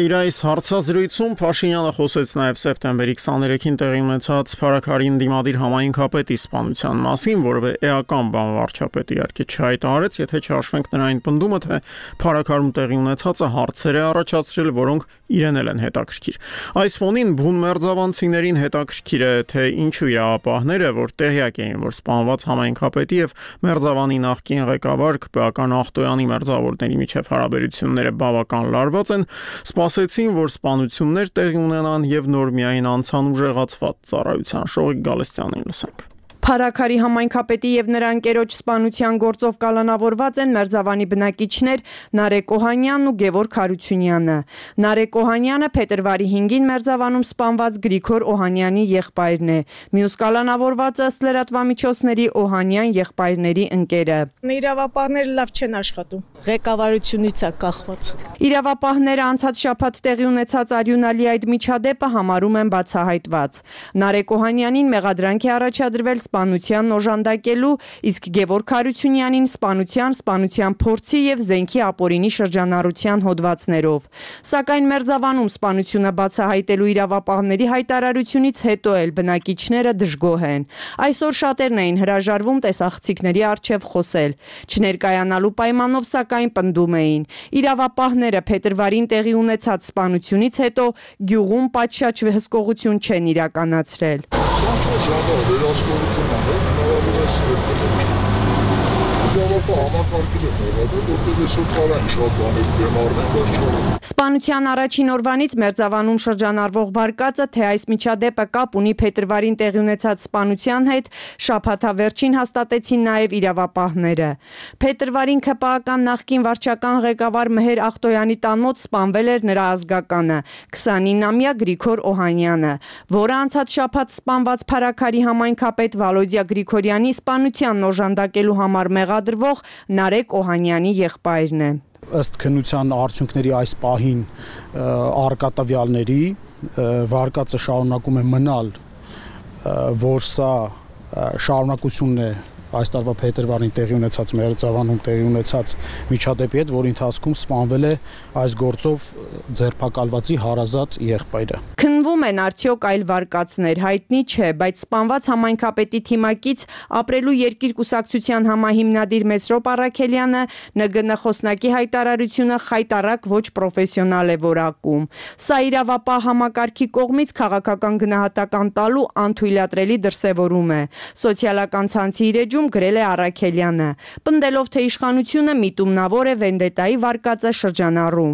իր այս հարցազրույցում Փաշինյանը խոսեց նաև սեպտեմբերի քսաներեքին տեղի ունեցած Փարաքարին դիմադիր համայնքապետի սպանության մասին, որը էական բան վարչապետը իհարկե չհայտարարեց, եթե չհաշվենք նրա այն պնդումը, թե Փարաքարում տեղի ունեցածը հարցեր է առաջացրել, որոնք իրեն էլ են հետաքրքիր։ Այս ֆոնին բուն մերձավանցիներին հետաքրքիր է, թե ինչու իրավապահները, որ տեղյակ էին, որ սպանված համայնքապետի եւ Մերձավանի նախկին ղեկավար Քպական Ախտոյանի մերձավորների միջև հարաբերությունները բավական լարված են, սպասեցին, որ սպանություններ տեղի ունենան եւ նոր միայն անցան ուժեղացված ծառայության։ Շողիկ Գալստյանին լսենք։ Փարաքարի համայնքապետի եւ նրա ընկերոջ սպանության գործով կալանավորված են Մերձավանի բնակիչներ Նարեկ Օհանյանն ու Գևորգ Հարությունյանը։ Նարեկ Օհանյանը փետրվարի հինգին Մերձավանում սպանված Գրիգոր Օհանյանի եղբայրն է։ Մյուս կալանավորվածը ըստ լրատվամիջոցների Օհանյան եղբայրների ընկերը։ Իրավապահները լավ չեն աշխատում։ Ղեկավարությունից է կախված։ Իրավապահները անցած շաբաթ տեղի ունեցած արյունալի այդ միջադեպը համարում են բացահայտված։ Նարեկ Օհանյանին մեղադրանք է առաջադրվել սպանության օժանդակելու, իսկ Գևորգ Հարությունյանին սպանության, սպանության փորձի եւ զենքի ապօրինի շրջանառության հոդվածներով։ Սակայն Մերձավանում սպանությունը բացահայտելու իրավապահների հայտարարությունից հետո էլ բնակիչները դժգոհ են։ Այսօր շատերն էին հրաժարվում տեսախցիկների առջև խոսել։ Չներկայանալու պայմանով սակայն պնդում էին։ Իրավապահները փետրվարին տեղի ունեցած սպանությունից հետո գյուղում պատշաճ հսկողություն չեն իրականացրել։ Իրավապահ համակարգել է մեղադրել, որտեղ այսօր կարան շատ բաներ դեմարնեն, բայց չորեն։ Սպանության առաջին օրվանից Մերձավանում շրջանառվող վարկածը, թե այս միջադեպը կապ ունի փետրվարին տեղի ունեցած սպանության հետ, շաբաթավերջին հաստատեցին նաև իրավապահները։ Փետրվարին ՔՊԱ-կան նախկին վարչական ղեկավար Մեհեր Ախտոյանի տան մոտ սպանվել էր նրա ազգականը՝ քսանինամյա Գրիգոր Օհանյանը, որը անցած շաբաթ սպանված Փարաքարի համայնքապետ Վալոդիա Գրիգորյանի սպանությանն օժանդակելու համար մեղադրվող Նարեկ Օհանյանի եղբայրն է։ Ըստ քննության արդյունքների այս պահին առկա տվյալների վարկածը շարունակում է մնալ, որ սա շարունակությունն է այս տարվա փետրվարին տեղի ունեցած Մերձավանում տեղի ունեցած միջադեպի հետ, որի ընթացքում սպանվել է այս գործով ձերբակալվածի հարազատ եղբայրը։ Քննվում են արդյոք այլ վարկածներ, հայտնի չէ, բայց սպանված համայնքապետի թիմակից ապրելու երկիր կուսակցության համահիմնադիր Մեսրոպ Առաքելյանը Ն Գ Ն խոսնակի հայտարարությունը խայտառակ ոչ պրոֆեսիոնալ է որակում։ Սա իրավապահ համակարգի կողմից քաղաքական գնահատական տալու անթույլատրելի դրսևորում է։ Սոցիալական ցանցի իր գրել է Առաքելյանը, պնդելով, թե իշխանությունը միտումնավոր է վենդետայի վարկածը շրջանառում։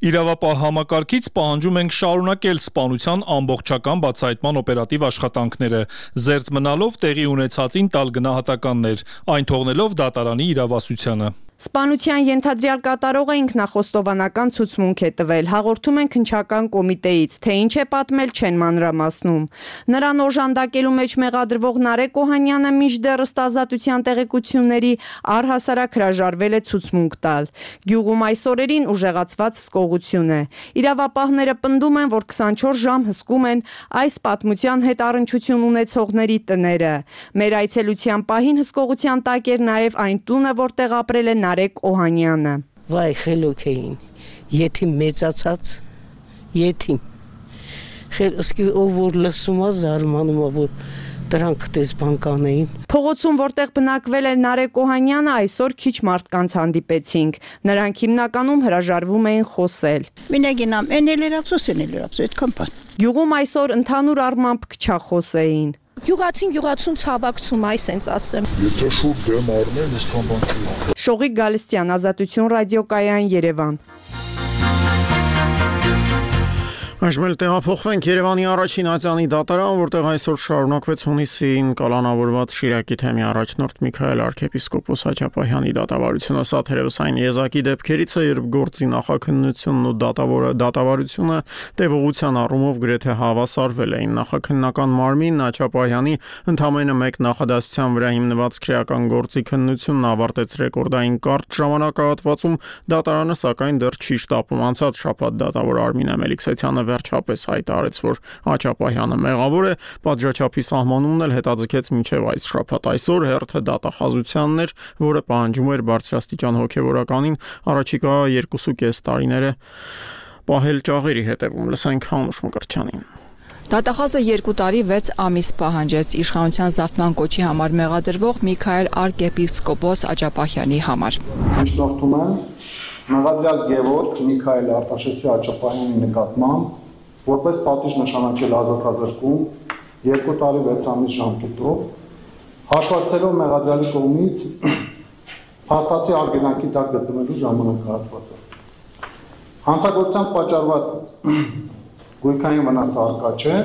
Իրավապահ համակարգից պահանջում ենք շարունակել սպանության ամբողջական բացահայտման օպերատիվ աշխատանքները, զերծ մնալով տեղի ունեցածին տալ գնահատականներ, այն թողնելով դատարանի իրավասությանը։ Սպանության ենթադրյալ կատարողը ինքնախոստովանական ցուցմունք է տվել, հաղորդում են քննչական կոմիտեից, թե ինչ է պատմել չեն մանրամասնում։ Նրան օժանդակելու մեջ մեղադրվող Նարեկ Օհանյանը մինչդեռ ըստ ազատության տեղեկությունների առհասարակ հրաժարվել է ցուցմունք տալ։ Գյուղում այս օրերին ուժեղացված սկողություն է։ Իրավապահները պնդում են, որ քսանչորս ժամ հսկում են այս պատմության հետ առնչություն ունեցողների տները։ Մեր այցելության պահին հսկողության տակ էր նաև այն տունը, որտեղ ապրել է Նարեկ Օհանյանը։ Վայ խելոք էին, եթիմ մեծացած, եթիմ։ Խելոսկի ով որ լսում է զարմանում է, որ դրանք դες բանկան էին։ Փողոցում, որտեղ բնակվել է Նարեկ Օհանյանը, այսօր քիչ մարդկանց հանդիպեցինք։ Նրանք հիմնականում հրաժարվում էին խոսել։ Մինագինամ, էնել էր ափսոս, էնել էր ափսոս, այդքան բան։ Գյուղում այսօր ընդհանուր առմամբ քչախոս էին։ Գյուղացին գյուղացուն ցավակցում այ սենց ասեմ։ Եթե շուտ դեմ առնեն, իսկան բան չի։ Շողիկ Գալստյան, Ազատություն ռադիոկայան, Երևան։ Այժմ տեղափոխվենք Երևանի առաջին ատյանի դատարան, որտեղ այսօր շարունակվեց հունիսին կալանավորված Շիրակի թեմի առաջնորդ Միքայել arczepiskopos Հաչապահյանի դատավարությունը։ Սա թերևս այն եզակի դեպքերից է, երբ գործի նախաքննությունն ու դատավարությունը տևողության առումով գրեթե հավասարվել էին։ Նախաքննական մարմինն Հաչապահյանի ընդամենը մեկ նախադասության վրա հիմնված քրեական գործի քննությունն ավարտեց ռեկորդային կարճ ժամանակահատվածում, դատարանը սակայն դեռ չի շտապում։ Անցած շաբաթ դատավոր Արմին Մելիքսեթյանը վերջապես հայտարարեց, որ Հաչապահյանը մեղավոր է, պատժաչափի սահմանումն էլ հետաձգեց մինչև այս շաբաթ։ Այսօր հերթը դատախազությանն էր, որը պահանջում էր բարձրաստիճան հոգևորականին առաջիկա երկուսուկես տարիները պահել ճաղերի հետևում։ Լսենք Հանուշ Մկրտչյանին։ Դատախազը երկու տարի վեց ամիս պահանջեց իշխանության զարթման կոչի համար մեղադրվող Միքայել arczepiskopos Հաչապահյանի համար։ Միջնորդում եմ մեղադրյալ Գևորգ Միքայել Արտաշեսի Հաչապահյանի նկատմամբ որպես պատիժ նշանակել ազատազրկում երկու տարի վեց ամիս ժամկետով, հաշվարկելով մեղադրյալի կողմից փաստացի արգելանքի տակ գտնվելու ժամանակահատվածը։ Հանցագործությամբ պատճառված գույքային վնասը առկա չէ,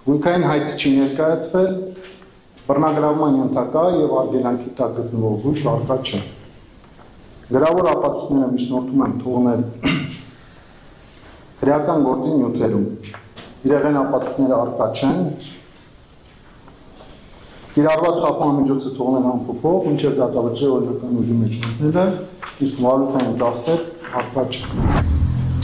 գույքային հայտ չի ներկայացվել, բռնագրավման ենթակա եւ արգելանքի տակ գտնվող գույք առկա չէ։ Գրավոր ապացույցները միջնորդում են թողնել քրեական գործի նյութերում։ Իրեղեն ապացույցները առկա չեն։ Կիրառված խափանմիջոցը թողնել անփոփոխ, մինչև դատավճիռ օրինական ուժի մեջ մտնելը, իսկ վարույթային ծախսեր առկա չեն։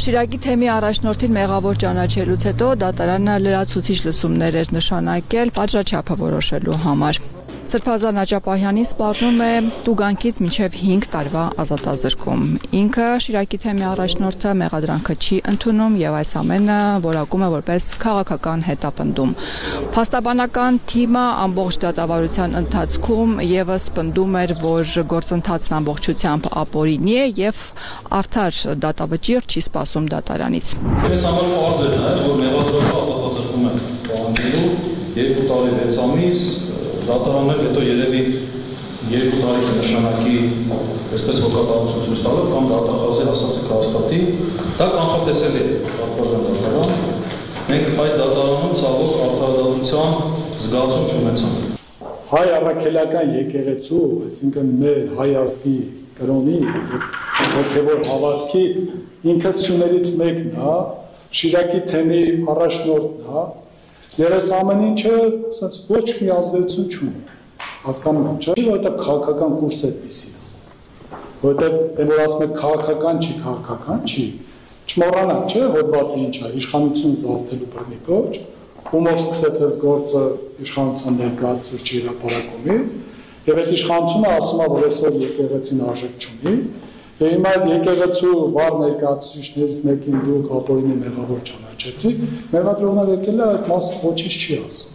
Շիրակի թեմի առաջնորդին մեղավոր ճանաչելուց հետո դատարանը լրացուցիչ լսումներ էր նշանակել պատժաչափը որոշելու համար։ Սրբազան Հաչապահյանի սպառնում է տուգանքից մինչև հինգ տարվա ազատազրկում։ Ինքը Շիրակի թեմի առաջնորդը մեղադրանքը չի ընդունում եւ այս ամենը որակում է որպես քաղաքական հետապնդում։ Փաստաբանական թիմը ամբողջ դատավարության ընթացքում եւս պնդում էր, որ գործընթացն ամբողջությամբ ապօրինի է եւ արդար դատավճիռ չի սպասում դատարանից։ Այս համար պարզ է նաեւ, որ մեղադրողը ազատազրկում է պահանջելու երկու տարի վեց ամիս, դատարաններ հետո երևի երկու տարի կնշանակի այսպես հոգատարություն ցույց տալով կամ դատախազի ասածը կհաստատի, դա կանխատեսելի է պատվաստան դատարան։ Մենք այս դատարանում ցավոք արդարադատության զգացում չունեցանք։ Հայ առաքելական եկեղեցու, այսինքն մեր հայ ազգի կրոնի հոգևոր հավատքի ինքնություններից մեկն է, Շիրակի թեմի առաջնորդն է, եւ այս ամեն ինչը ասած ոչ մի ազդեցություն չունի։ Հասկանում եք, չէ՞, որովհետեւ քաղաքական կուրսը այդպեսի է։ Որովհետեւ դեռ որ ասում եք քաղաքական չի, քաղաքական չի։ Չմոռանանք, չէ՞, հոդվածը ինչ է, իշխանություն զավթելու բռնի կոչ, ումով սկսեց այս գործը իշխանության ներկայացուցիչի հրապարակումից, եւ այդ իշխանությունը ասում է, որ այսօր եկեղեցին արժեք չունի, եւ հիմա այդ եկեղեցու վառ ներկայացուցիչներից մեկին դուք ապօրինի մեղավոր ճանաչեցիք, մեղադրողները եկել է այդ մասը ոչինչ չի ասում։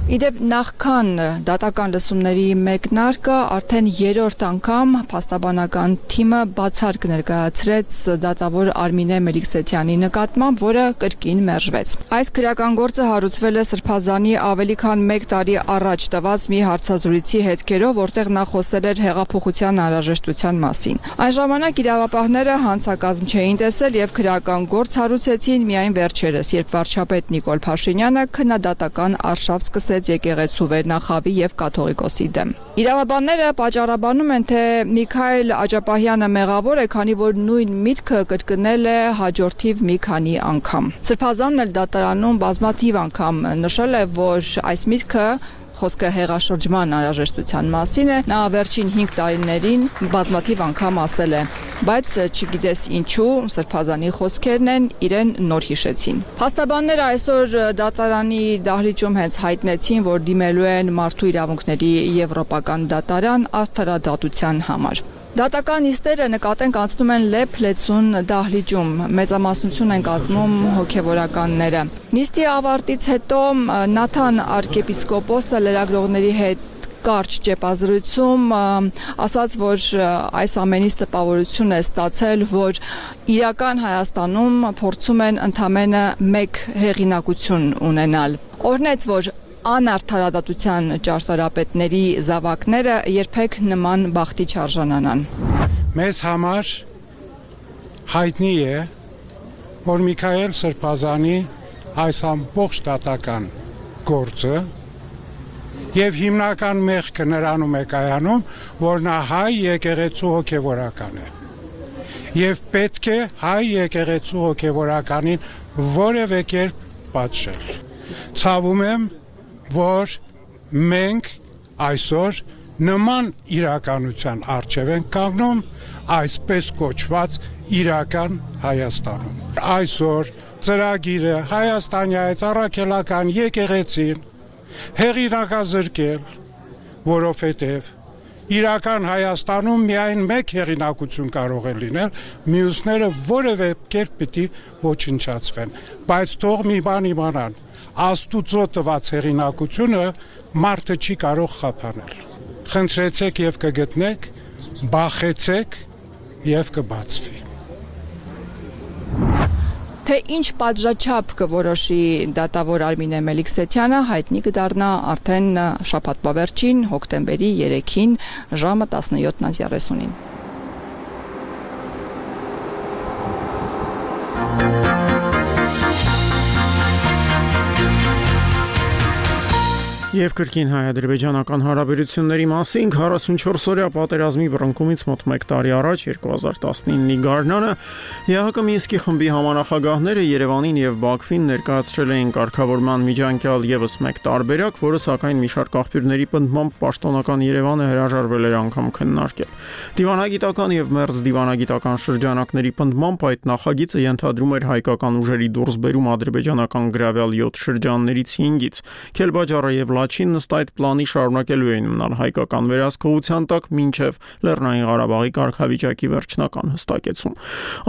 Իդեպ նախքան դատական լսումների մեկնարկը արդեն երրորդ անգամ փաստաբանական թիմը բացառք ներկայացրեց դատավոր Արմինե Մելիքսեթյանի նկատմամբ, որը կրկին մերժվեց։ Այս քրեական գործը հարուցվել է Սրբազանի ավելի քան մեկ տարի առաջ տված մի հարցազրույցի հետքերով, որտեղ նա խոսել էր հեղափոխության անհրաժեշտության մասին։ Այն ժամանակ իրավապահները հանցակազմ չէին տեսել եւ քրեական գործ հարուցեցին միայն վերջերս, երբ վարչապետ Նիկոլ Փաշինյանը քննադատական արշավ սկսեց եկեղեցու վերնախավի եւ կաթողիկոսի դեմ։ Իրավաբանները պատճառաբանում են, թե Միքայել Աջապահյանը մեղավոր է, քանի որ նույն միտքը կրկնել է հաջորդիվ մի քանի անգամ։ Սրբազանն էլ դատարանում բազմաթիվ անգամ նշել է, որ այս միտքը խոսքը հեղաշրջման անհրաժեշտության մասին է, նա վերջին հինգ տարիներին բազմաթիվ անգամ ասել է, բայց չգիտես ինչու Սրբազանի խոսքերն են իրեն նոր հիշեցին։ Փաստաբանները այսօր դատարանի դահլիճում հենց հայտնեցին, որ դիմելու են մարդու իրավունքների եվրոպական դատարան արդարադատության համար։ Դատական նիստերը նկատենք անցնում են լեփ-լեցուն դահլիճում, մեծամասնություն են կազմում հոգևորականները։ Նիստի ավարտից հետո Նաթան arczepiskopos-ը լրագրողների հետ կարճ ճեպազրույցում ասաց, որ այս ամենից տպավորություն է ստացել, որ իրական Հայաստանում փորձում են ընդամենը մեկ հեղինակություն ունենալ։ Օրհնեց, որ անարդարադատության ճարտարապետների զավակները երբեք նման բախտի չարժանանան։ Մեզ համար հայտնի է, որ Միքայել Սրբազանի այս ամբողջ դատական գործը եւ հիմնական մեղքը նրանում է կայանում, որ նա հայ եկեղեցու հոգևորական է։ Եվ պետք է հայ եկեղեցու հոգևորականին որևէ կերպ պատժել։ Ցավում եմ, որ մենք այսօր նման իրականության առջև ենք կանգնում այսպես կոչված իրական Հայաստանում։ Այսօր ծրագիրը Հայաստանյաց առաքելական եկեղեցին հեղինակազրկել, որովհետև իրական Հայաստանում միայն մեկ հեղինակություն կարող է լինել, մյուսները որևէ կերպ պիտի ոչնչացվեն, բայց թող մի բան իմանան, Աստուծո տված հեղինակությունը մարդը չի կարող խափանել։ Խնդրեցեք եւ կգտնեք, բախեցեք եւ կբացվի։ Թե ինչ պատժաչափ կորոշի դատավոր Արմինե Մելիքսեթյանը հայտնի կդառնա արդեն շաբաթվա վերջին հոկտեմբերի երեքին ժամը տասնյոթ երեսունին։ Եվ կրկին հայ-ադրբեջանական հարաբերությունների մասին քառասունչորս-օրյա պատերազմի բռնկումից մոտ մեկ տարի առաջ երկու հազար տասնինի գարնանը ԵԱՀԿ Մինսկի խմբի համանախագահները Երևանին եւ Բաքվին ներկայացրել էին կարգավորման միջանկյալ եւս մեկ տարբերակ, որը սակայն մի շարք աղբյուրների պնդմամբ պաշտոնական Երևանը հրաժարվել էր անգամ քննարկել։ Դիվանագիտական եւ մերձ դիվանագիտական շրջանակների պնդմամբ այդ նախագիծը ենթադրում էր հայկական ուժերի դուրսբերում ադրբեջանական գրավյալ յոթ շրջաններից հինգից։ Քելբաջարը եւ Լաչինն ըստ այդ պլանի շարունակելու էին մնալ հայկական վերահսկողության տակ մինչև Լեռնային Ղարաբաղի կարգավիճակի վերջնական հստակեցում։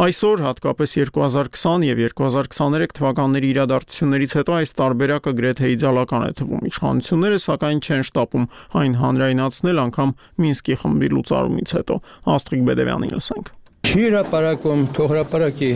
Այսօր, հատկապես երկու հազար քսան եւ երկու հազար քսաներեք թվականների իրադարձություններից հետո այս տարբերակը գրեթե իդեալական է թվում։ Իշխանությունները սակայն չեն շտապում այն հանրայնացնել անգամ Մինսկի խմբի լուծարումից հետո։ Աստղիկ Բեդևյանին լսենք։ Չի Չի հրապարակում, թող հրապարակի։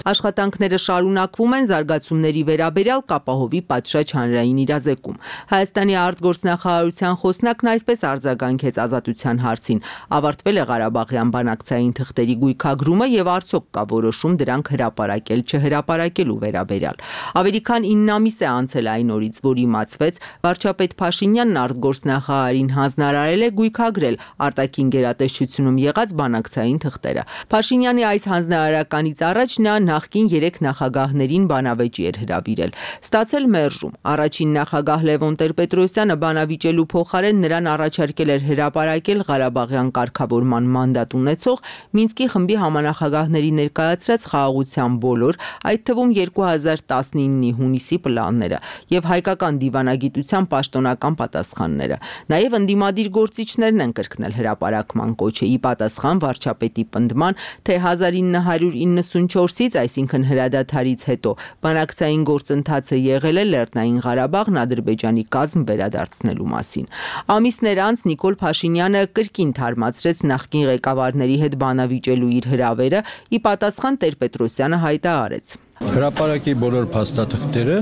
Աշխատանքները շարունակվում են զարգացումների վերաբերյալ կապահովի պատշաճ հանրային իրազեկում։ Հայաստանի արտգործնախարարության խոսնակն այսպես արձագանքեց ազատության հարցին։ Ավարտվել է Ղարաբաղյան բանակցային թղթերի գույքագրումը եւ արդյոք կա որոշում դրանք հրապարակել չհրապարակելու վերաբերյալ։ Ավելի քան ինը ամիս է անցել այն օրից, որ իմացվեց, վարչապետ Փաշինյանն արտգործնախարարին հանձնարարել է գույքագրել արտաքին գերատեսչությունում եղած բանակցային թղթերը։ Փաշինյանի այս հանձնարարականից առաջ նա նախկին երեք նախագահներին բանավեճի էր հրավիրել։ Ստացել մերժում։ Առաջին նախագահ Լևոն Տեր-Պետրոսյանը բանավիճելու փոխարեն նրան առաջարկել էր հրապարակել Ղարաբաղյան կարգավորման մանդատ ունեցող Մինսկի խմբի համանախագահների ներկայացրած խաղաղության բոլոր, այդ թվում երկու հազար տասնինի հունիսի պլանները եւ հայկական դիվանագիտության պաշտոնական պատասխանները։ Նաեւ ընդդիմադիր գործիչներն են կրկնել հրապարակման կոչը՝ ի պատասխան վարչապետի պնդման, թե հազար ինը հարյուր իննսունչորսից, այսինքն հրադադարից հետո, բանակցային գործընթացը եղել է Լեռնային Ղարաբաղն Ադրբեջանի կազմ վերադարձնելու մասին։ Ամիսներ անց Նիկոլ Փաշինյանը կրկին թարմացրեց նախկին ղեկավարների հետ բանավիճելու իր հրավերը, ի պատասխան Տեր-Պետրոսյանը հայտարարեց. Հրապարակի բոլոր փաստաթղթերը,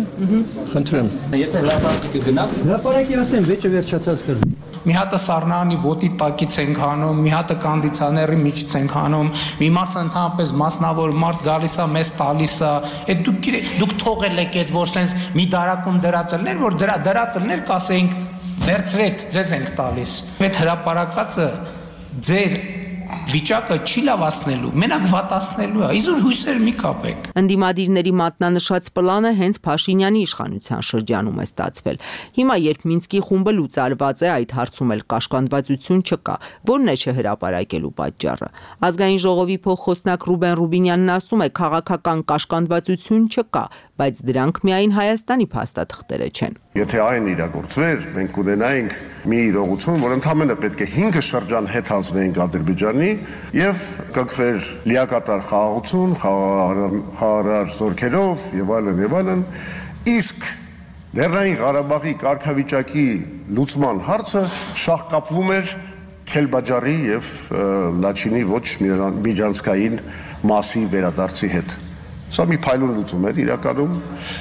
խնդրեմ։ Եթե հրապարակի գնաք, հրապարակի ասեմ, վեճը վերջացած կրնի։ Մի հատը Սառնանի ոտի տակից ենք հանում, մի հատը կոնդիցիոների միջից ենք հանում, մի մասը ընդհանրապես մասնավոր մարդ գալիս է, մեզ տալիս է, այդ դուք դուք թողել եք այդ որ sense մի դարակում դրածելներ, որ դրա դրածելներ կասեինք վերցրեք, ձեզ ենք տալիս։ Այդ հրապարակածը ձեր վիճակը չի լավացնելու, մենակ վատացնելու է, իզուր հույսեր մի կապեք։ Ընդդիմադիրների մատնանշած պլանը հենց Փաշինյանի իշխանության շրջանում է ստացվել։ Հիմա երբ Մինսկի խումբը լուծարված է, այդ հարցում էլ կաշկանդվածություն չկա, որն է չհրապարակելու պատճառը։ Ազգային ժողովի փոխխոսնակ Ռուբեն Ռուբինյանն ասում է, քաղաքական կաշկանդվածություն չկա, բայց դրանք միայն Հայաստանի փաստաթղթերը չեն։ Եթե այն իրագործվեր, մենք կունենայինք մի իրողություն, որ ընդամենը պետք է հինգ շրջան հետ հանձնեինք Ադրբեջանի եւ կգվեր լիակատար խաղաղություն, խաղաղարար զորքերով եւ այլն եւ այլն, իսկ Լեռնային Ղարաբաղի կարգավիճակի լուծման հարցը շահկապվում էր Քելբաջարի եւ Լաչինի ոչ միջանցքային մասի վերադարձի հետ։ Սա մի փայլուն լուծում էր իրականում,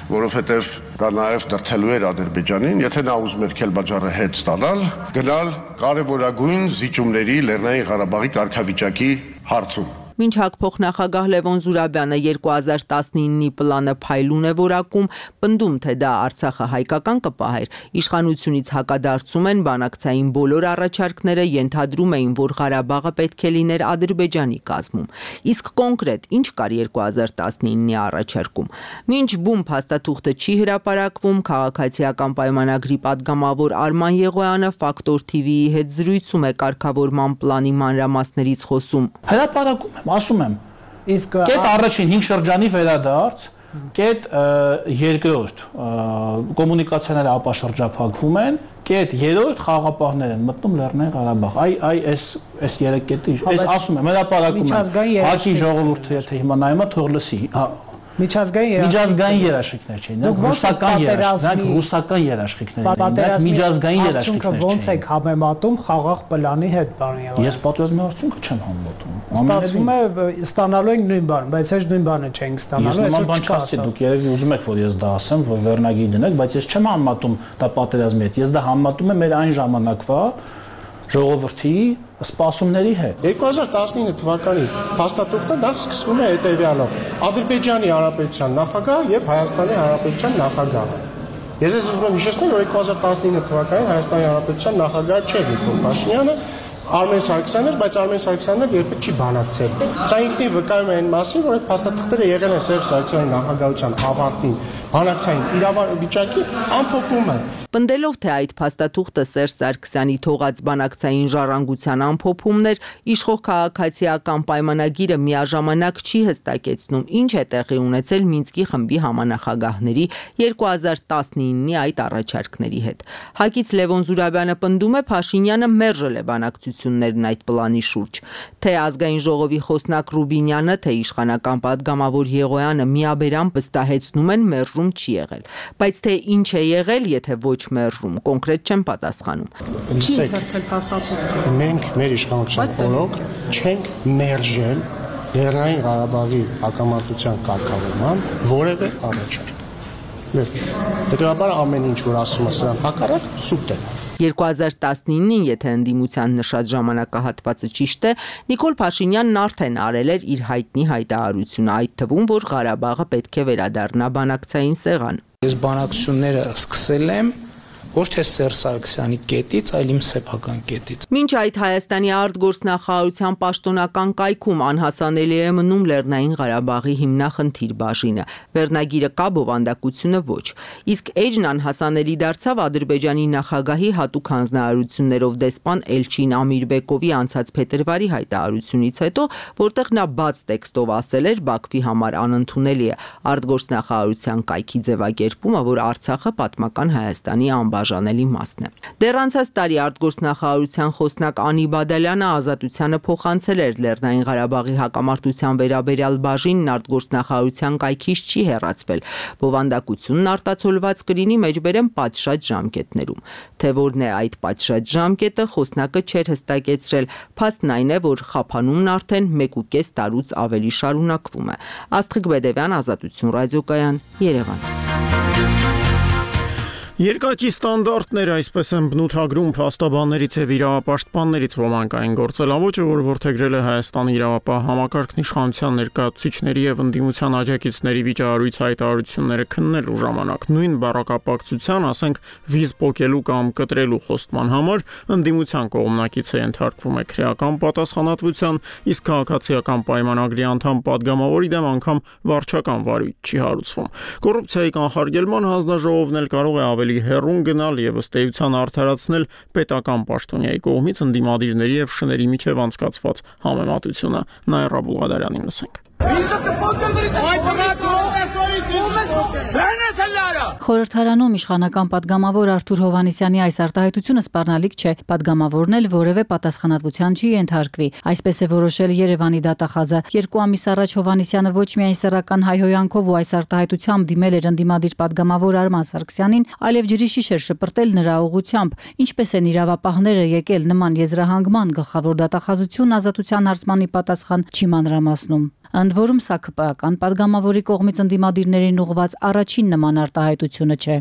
որովհետև դա նաև դրթելու էր Ադրբեջանին, եթե նա ուզում էր Քելբաջարը հետ ստանալ, գնալ կարևորագույն զիջումների Լեռնային Ղարաբաղի կարգավիճակի հարցում։ Մինչ հակփոխնախագահ Լևոն Զուրաբյանը երկու հազար տասնինի պլանը փայլուն է որակում, պնդում, թե դա Արցախը հայկական կպահեր, իշխանությունից հակադարձում են բանակցային բոլոր առաջարկները, ենթադրում էին, որ Ղարաբաղը պետք է լիներ Ադրբեջանի կազմում։ Իսկ կոնկրետ ինչ կար երկու հազար տասնինի առաջարկում։ Մինչ բում փաստաթուղթը չի հրապարակվում, քաղաքացիական պայմանագրի падգամավոր Արման Եղոյանը Ֆակտոր թի վիի հետ զրույցում է կարգավորման պլանի մանրամասներից խոսում։ Հրապարակում ասում եմ, իսկ կետ առաջին հինգ շրջանի վերադարձ, կետ երկրորդ կոմունիկացիաները ապաշրջափակվում են, կետ երրորդ խաղաղապահներ են մտնում Լեռնային Ղարաբաղ։ Այ այ այս այս երեք կետի, այս ասում եմ, հրապարակում եմ։ Հաճի ժողովուրդը եթե հիմա նայում է, թող լսի։ Միջազգային միջազգային երաշխիքներ չէին, նրանք ռուսական երաշխիքներ, ռուսական երաշխիքներ են, նրանք միջազգային երաշխիքներ չէին։ Ոնց եք համեմատում խաղաղ պլանի հետ, պարոն Եղոյան։ Ես պատերազմի արդյունքը չեմ համեմատում։ Ստացվում է ստանալու ենք նույն բանը, բայց հեչ նույն բանը չենք ստանալու, այսօր չկա։ Դուք երևի ուզում եք, որ ես դա ասեմ, որ վերնագիր դնեք, բայց ես չեմ համեմատում դա պատերազմի հետ։ Ես դա համեմատում եմ մեր այն ժամանակվա ժողովրդի սպասումների հետ։ երկու հազար տասնինը թվականի փաստաթուղթը դա սկսվում է հետևյալով. Ադրբեջանի Հանրապետության նախագահ եւ Հայաստանի Հանրապետության նախագահ։ Ես ես ուզում եմ հիշեցնել, որ երկու հազար տասնինը թվականին Հայաստանի Հանրապետության նախագահ չէր Նիկոլ Փաշինյանը, Արմեն Սարգսյանն էր, բայց Արմեն Սարգսյանն երբեք չի բանակցել։ Սա ինքնին վկայում է այն մասին, որ այդ փաստաթղթերը եղել են Սերժ Սարգսյանի նախագահության ավարտին բանակցային իրավիճակի ամփոփումը։ Պնդելով, թե այդ փաստաթուղթը Սերժ Սարգսյանի թողած բանակցային ժառանգության ամփոփումն էր, իշխող քաղաքացիական պայմանագիրը միաժամանակ չի հստակեցնում, ինչ է տեղի ունեցել Մինսկի խմբի համանախագահների երկու հազար տասնինի այդ առաջարկների հետ։ Հակից Լևոն Զուրաբյանը պնդում է, Փաշինյանը մերժել է բանակցություններն այդ պլանի շուրջ։ Թե ազգային ժողովի խոսնակ Ռուբինյանը, թե իշխանական падգամավոր Եղոյանը միաբերան վստահեցնում են, մերժում չի եղել, բայց թե ինչ է եղել, եթե ոչ մերժում, կոնկրետ չեն պատասխանում։ Մենք մեր իշխանության օրոք չենք մերժել Լեռնային Ղարաբաղի հակամարտության կարգավորման որևէ առաջարկ։ Վերջ։ Հետևաբար ամեն ինչ, որ ասում է սրան հակառակ, սուտ է։ երկու հազար տասնինին, եթե ընդդիմության նշած ժամանակահատվածը ճիշտ է, Նիկոլ Փաշինյանն արդեն արել էր իր հայտնի հայտարարությունը, այդ թվում, որ Ղարաբաղը պետք է վերադառնա բանակցային սեղան։ Ես բանակցությունները սկսել եմ ոչ թե Սերժ Սարգսյանի կետից, այլ իմ սեփական կետից։ Մինչ այդ Հայաստանի արտգործնախարարության պաշտոնական կայքում անհասանելի է մնում Լեռնային Ղարաբաղի հիմնախնդիր բաժինը։ Վերնագիրը կա, բովանդակությունը ոչ։ Իսկ էջն անհասանելի դարձավ Ադրբեջանի նախագահի հատուկ հանձնարարություններով դեսպան Էլչին Ամիրբեկովի անցած փետրվարի հայտարարությունից հետո, որտեղ նա բաց տեքստով ասել էր Բաքվի համար անընդունելի է արտգործնախարարության կայքի ձևակերպումը, որ Արցախը պատմական Հայաստանի անբաժանելի մասն է։ Դեռ անցած տարի արտգործնախարարության խոսնակ Անի Բադալյանը Ազատությանը փոխանցել էր Լեռնային Ղարաբաղի հակամարտության վերաբերյալ բաժինն արտգործնախարարության կայքից չի հեռացվել։ Բովանդակությունն արտացոլված կլինի մեջբերեմ պատշաճ ժամկետներում։ Թե որն է այդ պատշաճ ժամկետը, խոսնակը չէր հստակեցրել։ Փաստն այն է, որ խափանումն արդեն մեկ ու կես տարուց ավելի շարունակվում է։ Աստղիկ Բեդևյան, Ազատություն ռադիոկայան, Երևան։ Երկակի ստանդարտները, այսպես են բնութագրում փաստաբաններից եւ իրավապաշտպաններից ոմանք այն գործելավոճը, որ որդեգրել է Հայաստանի իրավապահ համակարգն իշխանության ներկայացուցիչների եւ ընդդիմության աջակիցների վիճահարույց հայտարարությունները քննելու ժամանակ նույն բառակապակցության, ասենք, վիզ պոկելու կամ կտրելու խոստման համար ընդդիմության կողմնակիցը ենթարկվում է քրեական պատասխանատվության, իսկ քաղաքացիական պայմանագրի անդամ падգամավորի դեմ անգամ վարչական վարույթ չի հարուցվում։ Կոռուպցիայի կանխարգելման հանձնաժողովն էլ կարող է ավելի հեռուն գնալ եւ ըստ էության արդարացնել պետական պաշտոնյայի կողմից ընդդիմադիրների եւ շների միջև անցկացված համեմատությունը։ Նաիրա Բուլղադարյանին լսենք։ Խորհրդարանում իշխանական падգամավոր Արթուր Հովհաննիսյանի այս արտահայտությունը սպառնալիք չէ, падգամավորն էլ որևէ պատասխանատվության չի ենթարկվի։ Այսպես է որոշել Երևանի դատախազը։ Երկու ամիս առաջ Հովհաննիսյանը ոչ միայն սեռական հայհոյանքով ու այս արտահայտությամբ դիմել էր ընդդիմադիր падգամավոր Արման Սարգսյանին, այլև ջրի շիշ էր շպրտել նրա ուղղությամբ։ Ինչպես են իրավապահները եկել նման եզրահանգման, գլխավոր դատախազությունն Ազատության հարցմանի պատասխան չի մանրամասնում։ Ընդ որում սա ԿՊԱ-ական падգամավորի կողմից ընդդիմադիրներին ուղղված առաջին նման արտահայտությունը չէ։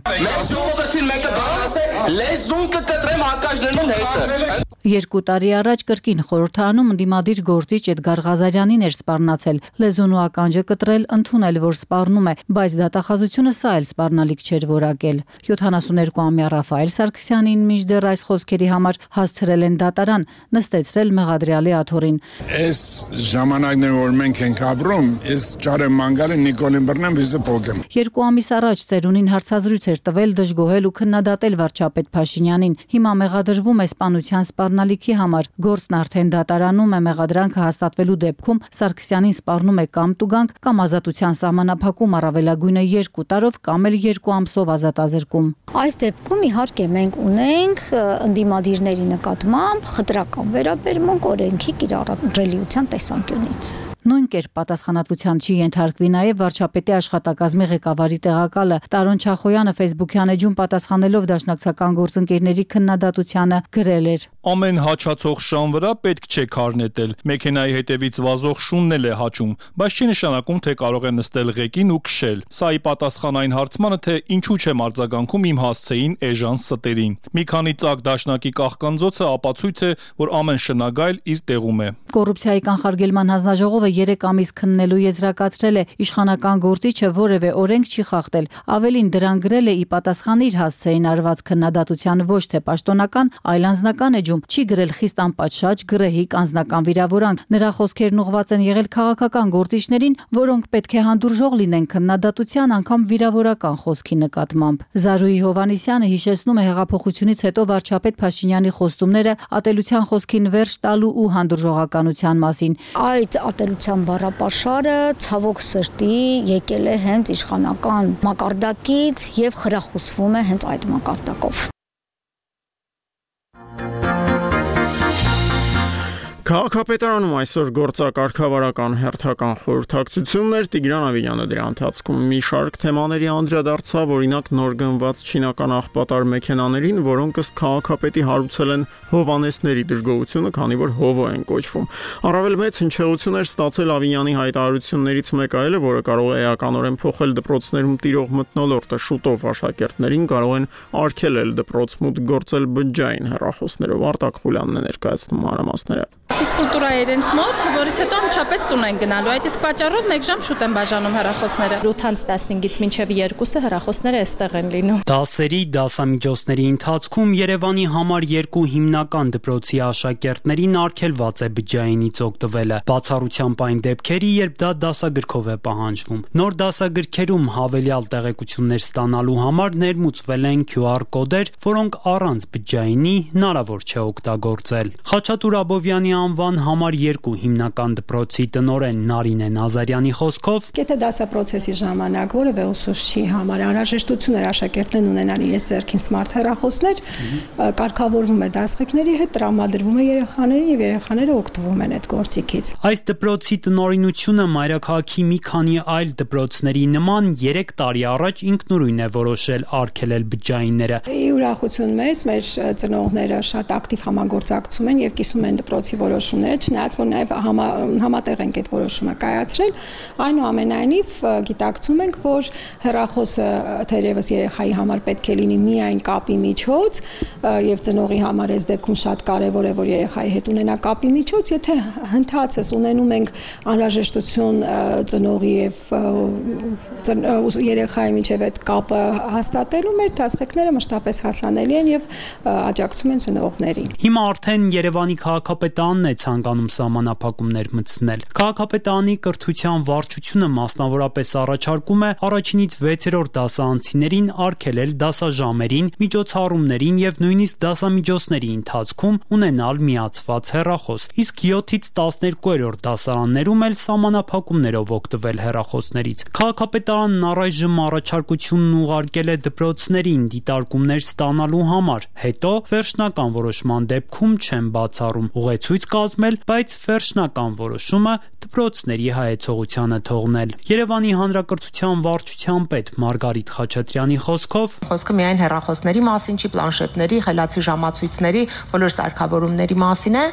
Երկու տարի առաջ կրկին խորհրդարանում ընդդիմադիր գործիչ Էդգար Ղազարյանին էր սպառնացել, լեզուն ու ականջը կտրել, ընդունել, որ սպառնում է, բայց դատախազությունը սա էլ սպառնալիք չէր որակել։ յոթանասունյոթ-ամյա Ռաֆայել Սարգսյանին մինչդեռ այս խոսքերի համար հասցրել են դատարան, նստեցրել մեղադրյալի աթոռին։ Այս ժամանակներում որ մենք ենք ապրում, ես ճարեմ մանգալը Նիկոլին բռնեմ վիզը փոխեմ։ Երկու ամիս առաջ ծերունին հարցազրույց էր տվել, դժգոհել ու քննադատել վարչապետ Փաշինյանին։ Հիմա մեղադրվում է սպանության սպառնալիքի համար։ Գործն արդեն դատարանում է, մեղադրանքը հաստատվելու դեպքում Սարգսյանին սպառնում է կամ տուգանք, կամ ազատության սահմանափակում առավելագույնը երկու տարով, կամ էլ երկու ամսով ազատազրկում։ Այս դեպքում իհարկե մենք ունենք ընդդիմադիրների նկատմամբ խտրական վերաբերմունք օրենքի կիրառելիության տեսանկյունից։ Նույն կերպ պատասխանատվության չի ենթարկվի նաև վարչապետի աշխատակազմի ղեկավարի տեղակալը Տարոն Չախոյանը Facebook-յան էջում պատասխանելով դաշնակցական գործընկերների քննադատությանը գրել էր. Ամեն հաչացող շան վրա պետք չէ քար նետել։ Մեքենայի հետևից վազող շունն էլ է հաչում, բայց չի նշանակում, թե կարող է նստել ղեկին ու քշել։ Սա ի պատասխան այն հարցմանը, թե ինչու չեմ արձագանքում իմ հասցեին էժան ստերին։ Մի քանի ծակ դաշնակի կախկանձոցը ապացույց է, որ ամեն շնագայլ իր տեղում է։ Կոռուպցիայի կանխարգելման հանձնաժողովը երեք ամիս քննելու եզրակացրել է իշխանական գործիչը որևէ օրենք չի խախտել։ Ավելին դրան գրել է ի պատասխան իր հասցեին արված քննադատության ոչ թե պաշտոնական, այլ անձնական էջում, չի գրել խիստ անպատշաճ, գրեհիկ անձնական վիրավորանք։ Նրա խոսքերն ուղղված են եղել քաղաքական գործիչներին, որոնք պետք է հանդուրժող լինեն քննադատության, անգամ վիրավորական խոսքի նկատմամբ։ Զարուհի Հովհաննիսյանը հիշեցնում է հեղափոխությունից հետո վարչապետ Փաշինյանի խոստումները ատելության խոսքին վերջ տալու ու հանդուրժողականության մասին։ Այդ ատելության բառապաշարը ցավոք սրտի եկել է հենց իշխանական մակարդակից եւ խրախուսվում է հենց այդ մակարդակով։ Քաղաքապետարանում այսօր գործակարգավարական հերթական խորհրդակցություններ Տիգրան Ավինյանը դրա ընթացքում մի շարք թեմաների անդրադարձավ, օրինակ նոր գնված չինական աղբատար մեքենաներին, որոնք ըստ քաղաքապետի հարուցել են հովանեսների դժգոհությունը, քանի որ հովո են կոչվում։ Առավել մեծ հնչեղություն էր ստացել Ավինյանի հայտարարություններից մեկ այլը, որը կարող է էականորեն փոխել դպրոցներում տիրող մթնոլորտը, շուտով աշակերտներին կարող են արգելել դպրոց մուտք գործել բջջային հեռախոսներով։ Արտակ Խուլյանն է ներկայացնում մանրամասները։ Ֆիզկուլտուրայի իրենց մոտ, որից հետո անմիջապես տուն են գնալու։ Այդ իսկ պատճառով մեկ ժամ շուտ են բաժանում հեռախոսները։ ութից տասնհինգից մինչև երկուսը հեռախոսները այստեղ են լինում։ Դասերի, դասամիջոցների ընթացքում Երևանի համար երկու հիմնական դպրոցի աշակերտներին արգելված է բջջայինից օգտվելը։ Բացառությամբ այն դեպքերի, երբ դա դասագրքով է պահանջվում։ Նոր դասագրքերում հավելյալ տեղեկություններ ստանալու համար ներմուծվել են Q R կոդեր, որոնք առանց բջջայինի հնարավոր չէ օգտագործել։ Խաչատուր Աբովյանի անվան համար երկու հիմնական դպրոցի տնօրեն Նարինե Նազարյանի խոսքով, եթե դասապրոցեսի ժամանակ որևէ ուսուցչի համար անհրաժեշտություն էր աշակերտներն ունենան իրենց ձեռքին սմարթ հեռախոսներ, կարգավորվում է դասղեկների հետ, տրամադրվում է երեխաներին եւ երեխաները օգտվում են այդ գործիքից։ Այս դպրոցի տնօրինությունը մայրաքաղաքի մի քանի այլ դպրոցների նման երեք տարի առաջ ինքնուրույն է որոշել արգելել բջջայինները։ Ի ուրախություն մեզ, մեր ծնողները շատ ակտիվ համագործակցում են եւ կիսում են դպրոցի որոշումները, չնայած որ նաև համա, համատեղ ենք այդ որոշումը կայացրել, այնուամենայնիվ գիտակցում ենք, որ հեռախոսը թերևս երեխայի համար պետք է լինի միայն կապի միջոց եւ ծնողի համար այս դեպքում շատ կարեւոր է, որ երեխայի հետ ունենա կապի միջոց, եթե հնդածս ունենում ենք անհրաժեշտություն ծնողի եւ երեխայի միջեւ այդ կապը հաստատելու, մեր դասղեկները մշտապես հասանելի են եւ աջակցում են ծնողներին։ Հիմա արդեն Երևանի քաղաքապետարանն է ցանկանում սահմանափակումներ մտցնել։ Քաղաքապետարանի կրթության վարչությունը մասնավորապես առաջարկում է առաջինից վեցերորդ դասարանցիներին արգելել դասաժամերին, միջոցառումներին եւ նույնիսկ դասամիջոցների ընթացքում ունենալ միացված հեռախոս, իսկ յոթից տասներկուերորդ դասարաններում էլ սահմանափակումներով օգտվել հեռախոսներից։ Քաղաքապետարանն առայժմ առաջարկությունն ուղարկել է դպրոցներին դիտարկումներ ստանալու համար, հետո վերջնական որոշման դեպքում չեն բացառում ուղեցույց կազմել, բայց վերջնական որոշումը դպրոցների հայեցողությանը թողնել։ Երևանի հանրակրթության վարչության պետ Մարգարիտ Խաչատրյանի խոսքով, խոսքը միայն հեռախոսների մասին չի, պլանշետների, խելացի ժամացույցների, բոլոր սարքավորումների մասին է,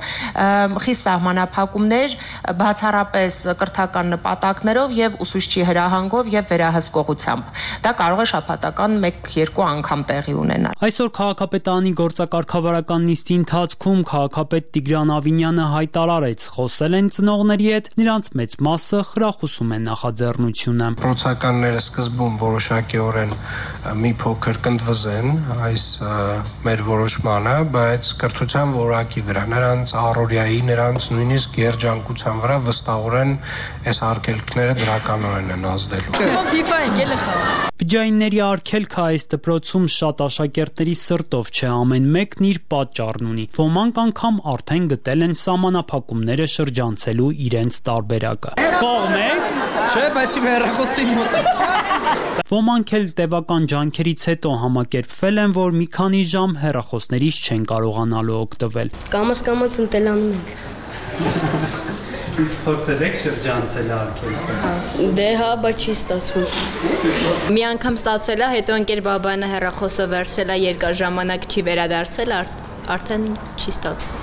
խիստ սահմանափակումներ, բացառապես կրթական նպատակներով եւ ուսուցչի հրահանգով եւ վերահսկողությամբ։ Դա կարող է շաբաթական մեկ-երկու անգամ տեղի ունենալ։ Այսօր քաղաքապետարանի գործակարգավարական նիստի ընթացքում քաղաքապետ Տիգրան Ավինյանը հայտարարեց, խոսել են ծնողների հետ, նրանց մեծ մասը խրախուսում են նախաձեռնությունը։ Պրոցականները սկզբում որոշակիորեն մի փոքր կնդվզեն այս մեր որոշմանը, բայց կրթության որակի վրա, նրանց առօրյայի, նրանց նույնիսկ երջանկության վրա վստահորեն այս արգելքները դրականորեն են ազդելու։ Բջջայինների արգելքը այս դպրոցում շատ աշակերտների սրտով չէ, ամեն մեկն իր պատճառն ունի։ Ոմանք անգամ արդեն գտել են սահմանափակումները շրջանցելու իրենց տարբերակը։ Կողմեք, չէ, բայց իմ հեռախոսի մոտ։ Ոմանք էլ տևական ջանքերից հետո համակերպվել են, որ մի քանի ժամ հեռախոսներից չեն կարողանալու օգտվել։ Կամաց-կամաց ընտելանում ենք։ Իսկ փորձել եք շրջանցել արգելքը։ Դե հա, բայց չի ստացվում։ Մի անգամ ստացվել է, հետո ընկեր բաբանը հեռախոսը վերցրել է, երկար ժամանակ չի վերադարձել, արդեն չի ստացվում։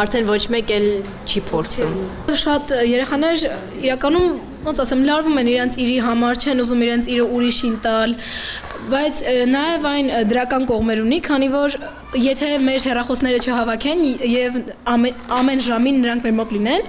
Արդեն ոչ մեկ էլ չի փորձում։ Շատ երեխաներ իրականում ոնց ասեմ, լարվում են իրենց իրի համար, չեն ուզում իրենց իրը ուրիշին տալ, բայց նաև այն դրական կողմեր ունի, քանի որ եթե մեր հեռախոսները չհավաքեն եւ ամեն, ամեն ժամին նրանք մեր մոտ լինեն,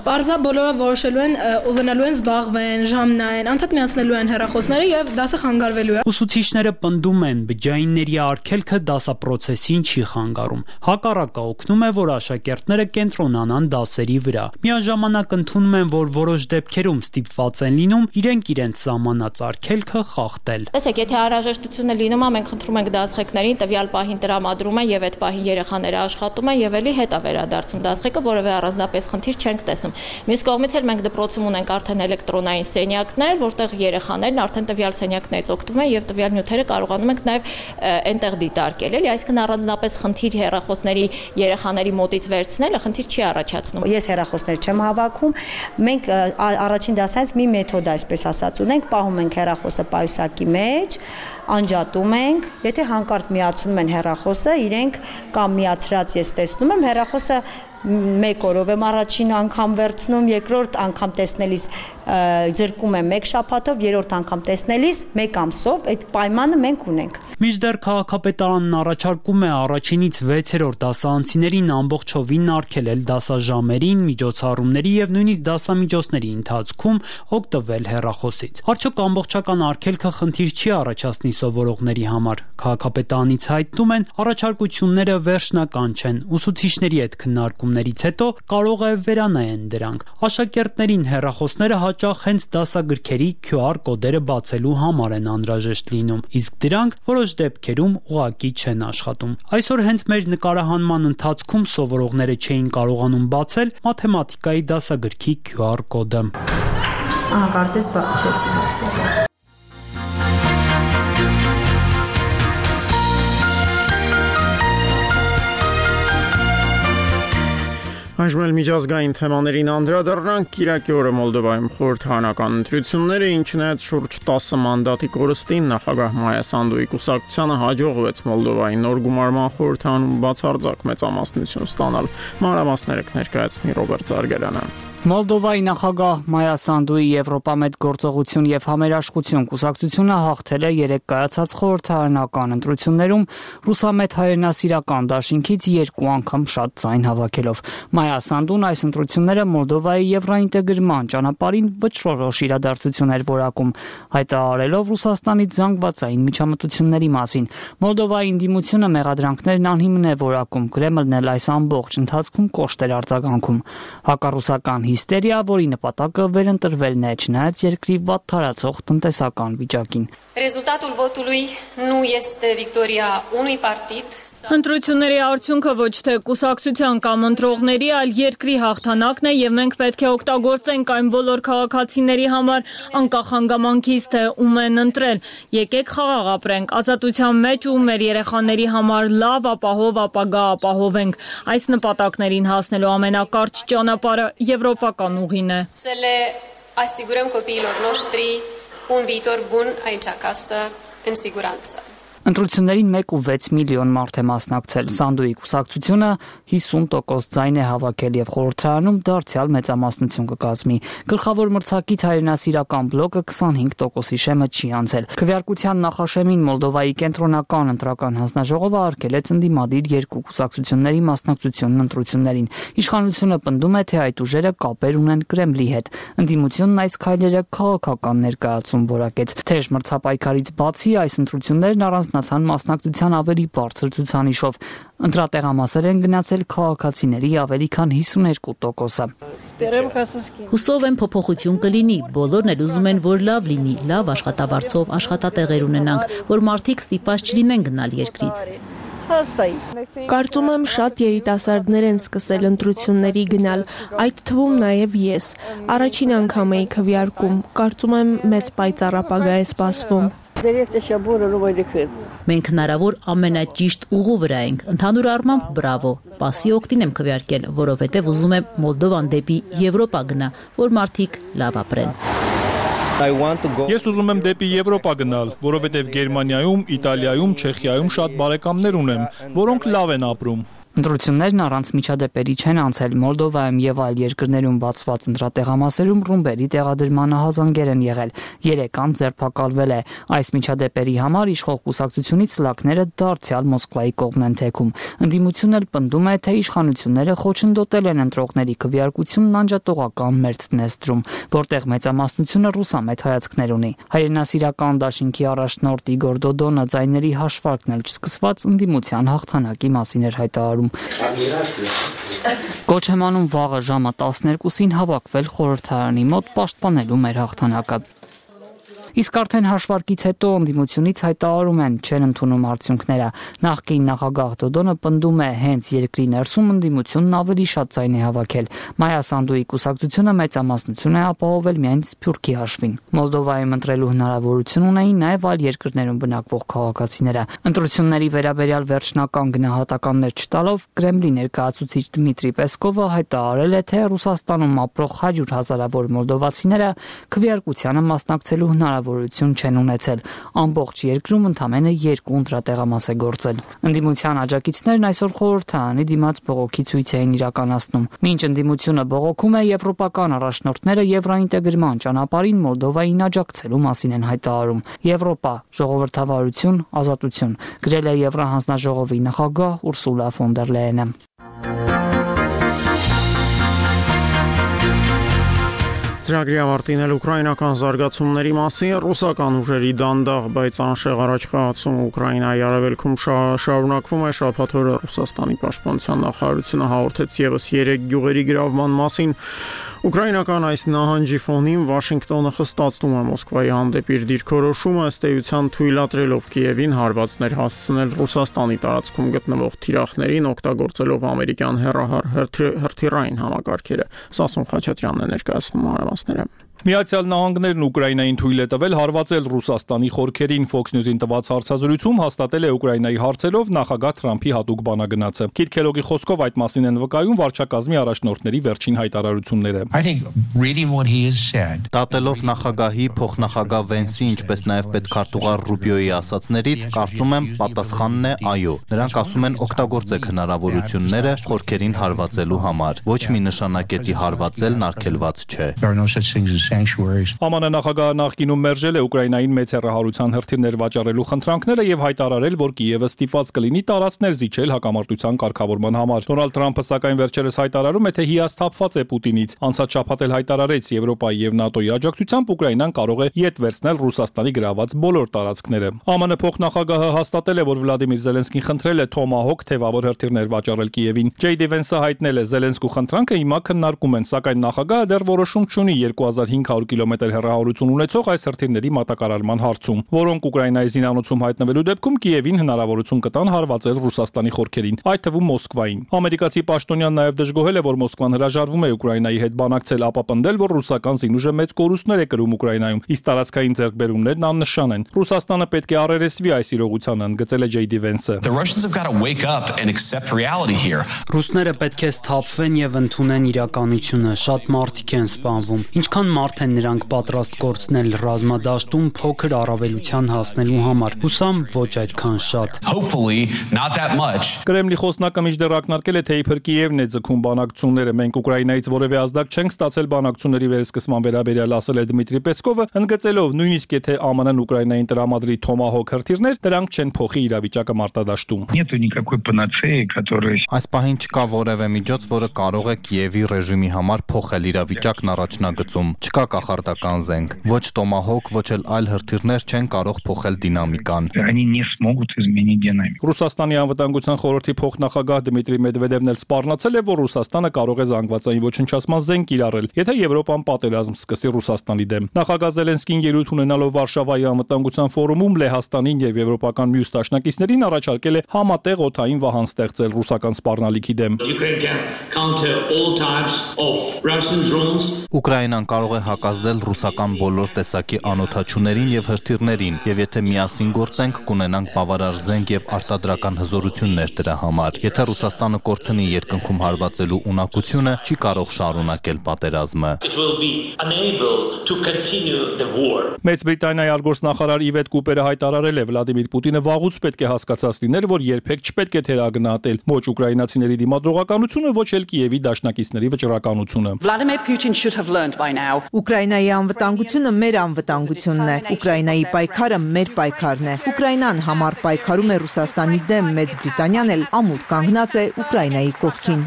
պարզա բոլորը որոշելու են, ուզենալու են զբաղվեն, ժամ նայեն, անդադ միացնելու են հեռախոսները եւ դասը խանգարվելու է։ Ուսուցիչները պնդում են, բջջայինների արգելքը դասապրոցեսին չի խանգարում։ Հակառակը օգնում է, որ աշակերտները կենտրոնանան դասերի վրա։ Միաժամանակ ընդունում են, որ որոշ դեպքերում ստիպված են լինում իրենք իրենց սահմանած արգելքը խախտել։ Տեսեք, եթե անհրաժեշտություն է լինում, մենք խնդրում ենք դասղեկներին տվյալ պահին տրամադրել տրամադրում են եւ այդ պահին երեխաները աշխատում են եւ էլի հետ է վերադարձում դասղեկը, որովհետեւ առանձնապես խնդիր չենք տեսնում։ Մյուս կողմից էլ մենք դպրոցում ունենք արդեն էլեկտրոնային սենյակներ, որտեղ երեխաներն արդեն տվյալ սենյակներից օգտվում են եւ տվյալ նյութերը կարողանում ենք նաեւ այնտեղ դիտարկել, էլի, այսինքն առանձնապես խնդիր հեռախոսների երեխաների մոտից վերցնելը խնդիր չի առաջացնում։ Ես հեռախոսներ չեմ հավաքում, մենք առաջին դասից մի մեթոդ, այսպես ասած, ունենք, պահում ենք հեռախոսը պայուսակի մեջ, անջատում ենք, եթե հանկարծ միացնում են հեռախոսը, իրենք կամ միացրած ես տեսնում եմ, հեռախոսը մեկ օրով եմ առաջին անգամ վերցնում, երկրորդ անգամ տեսնելիս ձրկում եմ մեկ շաբաթով, երրորդ անգամ տեսնելիս մեկ ամսով, այդ պայմանը մենք ունենք։ Մինչդեռ քաղաքապետարանն առաջարկում է առաջինից վեցերորդ դասարանցիներին ամբողջովին արգելել դասաժամերին, միջոցառումների եւ նույնիսկ դասամիջոցների ընթացքում օգտվել հեռախոսից։ Արդյոք ամբողջական արգելքը խնդիր չի առաջացնի սովորողների համար։ Քաղաքապետարանից հայտնում են, առաջարկությունները վերջնական չեն, ուսուցիչների հետ քննարկումներից հետո կարող է վերանայեն դրանք։ Աշակերտներին հեռախոսները հաճախ հենց դասագրքերի Q R կոդերը բացելու համար են անհրաժեշտ լինում, իսկ դրանք որոշ դեպքերում ուղղակի չեն աշխատում։ Այսօր հենց մեր նկարահանման ընթացքում սովորողները չէին կարողանում բացել մաթեմատիկայի դասագրքի Q R կոդը։ Ահա, կարծես բաց չէ, չի բացել։ Այժմ էլ միջազգային թեմաներին անդրադառնանք։ Կիրակի օրը Մոլդովայում խորհրդարանական ընտրությունները, ինչն այդ շուրջ տասը մանդատի կորստին նախագահ Մայա Սանդուի կուսակցությանը հաջողվեց Մոլդովայի նոր գումարման խորհրդարանում բացարձակ մեծամասնություն ստանալ։ Մանրամասները կներկայացնի Ռոբերտ Զարգարյանը։ Մոլդովայի նախագահ Մայա Սանդուի Եվրոպամետ գործողություն եւ համերաշխություն կուսակցությունը հաղթել է երեք կայացած խորհրդարանական ընտրություններում ռուսամետ հայրենասիրական դաշինքից երկու անգամ շատ ձայն հավաքելով։ Մայա Սանդուն այս ընտրությունները Մոլդովայի եվրոինտեգրման ճանապարհին վճռորոշ իրադարձություն էր որակում, հայտարարելով Ռուսաստանից զանգվածային միջամտությունների մասին։ Մոլդովայի ընդդիմությունը մեղադրանքներն անհիմն է որակում, Կրեմլն էլ այս ամբողջ ընթացքում կոշտ էր արձագանքում։ Հակառուսական հիստերիա, որի նպատակը վերընտրվելն է, չնայած երկրի վատ տարածող տնտեսական վիճակին։ Rezultatul votului nu este victoria unui partid. Ընտրությունների արդյունքը ոչ թե կուսակցության կամ ընտրողների, այլ երկրի հաղթանակն է եւ մենք պետք է օգտագործենք այն բոլոր քաղաքացիների համար, անկախ հանգամանքից թե ում են ընտրել։ Եկեք խաղաղ ապրենք, ազատության մեջ ու մեր երեխաների համար լավ, ապահով ապագա ապահովենք։ Այս նպատակներին հասնելու ամենակարճ ճանապարհը եվրոպական ուղին է։ Să le asigurăm copiilor noștri un viitor bun aici acasă, în siguranță. Ընտրություններին մեկ ու վեց միլիոն մարդ է մասնակցել։ Սանդուի կուսակցությունը հիսուն տոկոս ձայն է հավաքել եւ խորհրդարանում դարձյալ մեծամասնություն կկազմի։ Գլխավոր մրցակից հայրենասիրական բլոկը քսանհինգ տոկոսի շեմը չի անցել։ Քվեարկության նախաշեմին Մոլդովայի կենտրոնական ընտրական հանձնաժողովը արգելեց ընդդիմադիր երկու կուսակցությունների մասնակցությունն ընտրություններին։ Իշխանությունը պնդում է, թե այդ ուժերը կապեր ունեն Կրեմլի հետ։ Ընդդիմությունն այս քայլերը քաղաքական ներկայացում որակեց։ Թեժ մրցապայքարից բացի այս ընտրություններն առանց նացան մասնակցության ավելի բարձր ցուցանիշով։ Ընտրատեղամասեր են գնացել քաղաքացիների ավելի քան հիսուներկու տոկոսը։ Հուսով եմ փոփոխություն կլինի, բոլորն էլ ուզում են, որ լավ լինի, լավ աշխատավարձով աշխատատեղեր ունենանք, որ մարդիկ ստիպված չլինեն գնալ երկրից։ Կարծում եմ շատ երիտասարդներ են սկսել ընտրությունների գնալ, այդ թվում նաև ես։ Առաջին անգամ էի քվեարկում, կարծում եմ մեզ պայծառ ապագա է սպասվում։ Մենք հնարավոր ամենաճիշտ ուղու վրա ենք, ընդհանուր առմամբ բրավո, պասի օգտին եմ քվեարկել, որովհետև ուզում եմ Մոլդովան դեպի Եվրոպա գնա, որ մարդիկ լավ ապրեն։ Ես ուզում եմ դեպի Եվրոպա գնալ, որովհետև Գերմանիայում, Իտալիայում, Չեխիայում շատ բարեկամներ ունեմ, որոնք լավ են ապրում։ Ընտրություններն առանց միջադեպերի չեն անցել։ Մոլդովայում եւ այլ երկրներում բացված ընտրատեղամասերում ռումբերի տեղադրմանը հազանգեր են եղել։ Երեք անձ ձերբակալվել է։ Այս միջադեպերի համար իշխող կուսակցությունից սլաքները դարձյալ Մոսկվայի կողմն են թեքում։ Ընդդիմությունն էլ պնդում է, թե իշխանությունները խոչընդոտել են ընտրողների քվեարկությունն անջատողական մերձ Դնեստրում, որտեղ մեծամասնությունը ռուսամետ հայացքներ ունի։ Հայրենասիրական դաշինքի առաջնորդ Իգոր Դոդոնը ձայների հաշվարկն էլ չսկսված ընդդիմության հաղթանակի մասին էր հայտարարում։ Կոչ եմ անում վաղը ժամը տասներկուսին հավաքվել խորհրդարանի մոտ պաշտպանելու մեր հաղթանակը։ Իսկ արդեն հաշվարկից հետո ընդդիմությունից հայտարարում են չեն ընդունում արդյունքները։ Նախկին նախագահ Դոդոնը պնդում է հենց երկրի ներսում ընդդիմությունն ավելի շատ ձայն է հավաքել։ Մայա Սանդուի կուսակցությունը մեծամասնություն է ապահովել միայն Սփյուռքի հաշվին։ Մոլդովայում ընտրելու հնարավորություն ունեին նաև այլ երկրներում բնակվող քաղաքացիները։ Ընտրությունների վերաբերյալ վերջնական գնահատականներ չտալով Կրեմլի ներկայացուցիչ Դմիտրի Պեսկովը հայտարարել է, թե Ռուսաստանում ապրող հարյուր հազարավոր մոլդովացիները քվեարկությանը մասնակցելու հնարավորություն չեն ունեցել։ Ամբողջ երկրում ընդամենը երկու ընտրատեղամաս է գործել։ Ընդդիմության աջակիցներն այսօր խորհրդարանի դիմաց բողոքի ցույց էին իրականացնում։ Մինչ ընդդիմությունը բողոքում է, եվրոպական առաջնորդները եվրոինտեգրման ճանապարհին Մոլդովային աջակցելու մասին են հայտարարում։ Եվրոպա, ժողովրդավարություն, ազատություն, գրել է Եվրահանձնաժողովի նախագահ Ուրսուլա ֆոն դեր Լեյենը։ Ծրագրի ավարտին էլ ուկրաինական զարգացումների մասին ռուսական ուժերի դանդաղ, բայց անշեղ առաջխաղացումը Ուկրաինայի արևելքում շարունակվում է։ Շաբաթ օրը Ռուսաստանի պաշտպանության նախարարությունը հաղորդեց ևս երեք գյուղերի գրավման մասին։ Ուկրաինական այս նահանջի ֆոնին Վաշինգտոնը խստացնում է Մոսկվայի հանդեպ իր դիրքորոշումը, ըստ էության թույլատրելով Կիևին հարվածներ հասցնել Ռուսաստանի տարածքում գտնվող թիրախներին, օգտագործելով ամերիկյան հեռահար հրթիռային համակարգերը։ Սասուն Խաչատրյանն է ներկայացնում մանրամասները։ Միացյալ Նահանգներն Ուկրաինային թույլ է տվել հարվածել Ռուսաստանի խորքերին։ Fox News-ին տված հարցազրույցում հաստատել է Ուկրաինայի հարցերով նախագահ Թրամփի հատուկ բանագնացը։ Քիթ Քելոգի խոսքով այդ մասին են վկայում վարչակազմի առաջնորդների վերջին հայտարարությունները։ Դատելով նախագահի, փոխնախագահ Վենսի, ինչպես նաև պետքարտուղար Ռուբիոյի ասացներից, կարծում եմ պատասխանն է այո։ Նրանք ասում են օգտագործեք հնարավորությունները խորքերին հարվածելու համար։ Ոչ մի նշանակետի հարվածելն արգելված չէ։ ԱՄՆ նախագահը նախկինում մերժել է Ուկրաինային մեծ հեռահարության հրթիռներ վաճառելու խնդրանքները եւ հայտարարել, որ Կիևը ստիպված կլինի տարածքներ զիջել հակամարտության կարգավորման համար։ Դոնալդ Թրամփը սակայն վերջերս հայտարարում է, թե հիասթափված է Պուտինից։ Անցած շաբաթ էլ հայտարարեց Եվրոպայի եւ ՆԱՏՕ-ի աջակցությամբ Ուկրաինան կարող է յետ վերցնել Ռուսաստանի գրաված բոլոր տարածքները։ ԱՄՆ փոխնախագահը հաստատել է, որ Վլադիմիր Զելենսկին խնդրել է Թոմահոկ թեվավոր հրթիռներ վաճառել Կիևին։ Ջեյ Դի Վենսը հայտնել է Զելենսկու խնդրանքը հիմա քննարկում են, սակայն նախագահը դեռ որոշում չունի երկու հազար հինգ հարյուր կիլոմետր հեռահարություն ունեցող այս հրթիռների մատակարարման հարցում, որոնք Ուկրաինայի զինանոցում հայտնվելու դեպքում Կիևին հնարավորություն կտան հարվածել Ռուսաստանի խորքերին, այդ թվում Մոսկվային։ Ամերիկացի պաշտոնյան նաև դժգոհել է, որ Մոսկվան հրաժարվում է Ուկրաինայի հետ բանակցել, ապա պնդել, որ ռուսական զինուժը մեծ կորուստներ է կրում Ուկրաինայում, իսկ տարածքային ձեռքբերումներն աննշան են։ Ռուսաստանը պետք է առերեսվի այս իրողությանը, ընդգծել է Ջեյ Դի Վենսը։ Ռուսները պետք է սթափվեն եւ ընդունեն իրականությունը, շատ մարդիկ են սպանվում։ Ինչքան մարդ են նրանք պատրաստ կորցնել ռազմադաշտում փոքր առավելության հասնելու համար։ Հուսամ ոչ այդքան շատ։ Կրեմլի խոսնակը մինչդեռ ակնարկել է, թե իբր Կիևն է ձգում բանակցությունները։ Մենք Ուկրաինայից որևէ ազդակ չենք ստացել բանակցությունների վերսկսման վերաբերյալ, ասել է Դմիտրի Պեսկովը, ընդգծելով, նույնիսկ եթե ԱՄՆ-ն Ուկրաինային տրամադրի Թոմահոկ հրթիռներ, դրանք չեն փոխի իրավիճակը մարտադաշտում։ Այս պահին չկա որևէ միջոց, որը կարող է Կիևի ռեժիմի համար փոխել իրավիճակն առաջնագծում։ Չկա կախարդական զենք, ոչ Տոմահոկ, ոչ էլ այլ հրթիռներ չեն կարող փոխել դինամիկան։ Ռուսաստանի անվտանգության խորհրդի փոխնախագահ Դմիտրի Մեդվեդևն էլ սպառնացել է, որ Ռուսաստանը կարող է զանգվածային ոչնչացման զենք կիրառել, եթե Եվրոպան պատերազմ սկսի Ռուսաստանի դեմ։ Նախագահ Զելենսկին ելույթ ունենալով Վարշավայի անվտանգության ֆորումում Լեհաստանին եւ եվրոպական մյուս դաշնակիցներին առաջարկել է համատեղ օդային վահան ստեղծել ռուսական սպառնալիքի դեմ։ Ուկրաինան կարող է հակազդել ռուսական բոլոր տեսակի անօդաչուներին եւ հրթիռներին, եւ եթե միասին գործենք, կունենանք բավարար զենք եւ արտադրական հզորություններ դրա համար։ Եթե Ռուսաստանը կորցնի երկնքում հարվածելու ունակությունը, չի կարող շարունակել պատերազմը։ Մեծ Բրիտանիայի արտգործնախարար Իվետ Կուպերը հայտարարել է, Վլադիմիր Պուտինը վաղուց պետք է հասկացած լիներ, որ երբեք չպետք է թերագնահատել ոչ ուկրաինացիների դիմադրողականությունը, ոչ էլ Կիևի դաշնակիցների վճռականությունը։ Ուկրաինայի անվտանգությունը մեր անվտանգությունն է։ Ուկրաինայի պայքարը մեր պայքարն է։ Ուկրաինան համառ պայքարում է Ռուսաստանի դեմ, Մեծ Բրիտանիան էլ ամուր կանգնած է Ուկրաինայի կողքին։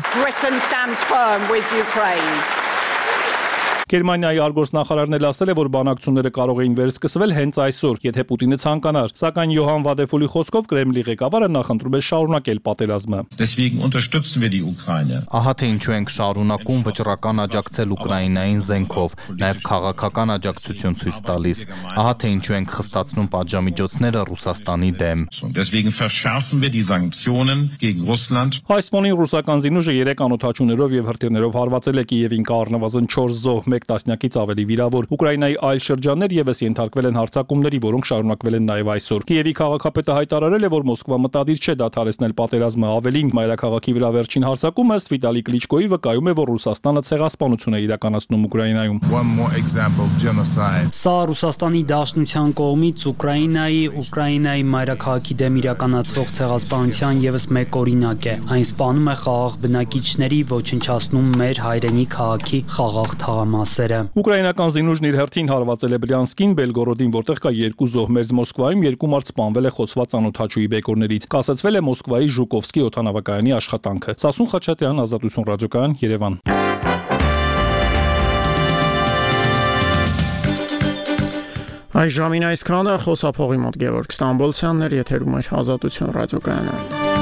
Գերմանիայի արտգործնախարարն էլ ասել է, որ բանակցությունները կարող էին վերսկսվել հենց այսօր, եթե Պուտինը ցանկանար, սակայն Յոհան Վադեֆուլի խոսքով Կրեմլի ղեկավարը նախընտրում է շարունակել պատերազմը։ Ահա թե ինչու ենք շարունակում վճռական աջակցել Ուկրաինային զենքով, նաև քաղաքական աջակցություն ցույց տալիս։ Ահա թե ինչու ենք խստացնում պատժամիջոցները Ռուսաստանի դեմ։ Այս ֆոնին ռուսական զինուժը երեք անօթաչուներով եւ հրթիռներով հարվածել է Կիևին, կա առնվազն չորս զոհ, մեկ տասնյակից ավելի վիրավոր։ Ուկրաինայի այլ շրջաններ եւս ենթարկվել են հարձակումների, որոնք շարունակվել են նաեւ այսօր։ Կիևի քաղաքապետը հայտարարել է, որ Մոսկվա մտադիր չէ դադարեցնել պատերազմը, ավելին մայրաքաղաքի վրա վերջին հարձակումը ըստ Վիտալի Կլիչկոյի վկայում է, որ Ռուսաստանը ցեղասպանություն է իրականացնում Ուկրաինայում։ Սա Ռուսաստանի Դաշնության կողմից Ուկրաինայի, Ուկրաինայի մայրաքաղաքի դեմ իրականացվող ցեղասպանության եւս մեկ օրինակ է։ Այն սպանում է խաղաղ բնակիչների, ոչնչացնում մեր հայրենի քաղաքի խաղաղ թաղամասերը։ Ուկրաինական զինուժն իր հերթին հարվածել է Բրյանսկին, Բելգորոդին, որտեղ կա երկու զոհ, մեծ Մոսկվայում երկու մարդ սպանվել է խոցված անօթաչուի բեկորներից։ Կասեցվել է Մոսկվայի Ժուկովսկի օդանավակայանի աշխատանքը։ Սասուն Խաչատրյան, Ազատություն ռադիոկայան, Երևան։ Այս ժամին այսքանը, խոսափողի մոտ Գևորգ Ստամբոլցյանն էր, եթերում էր Ազատություն ռադիոկայանը։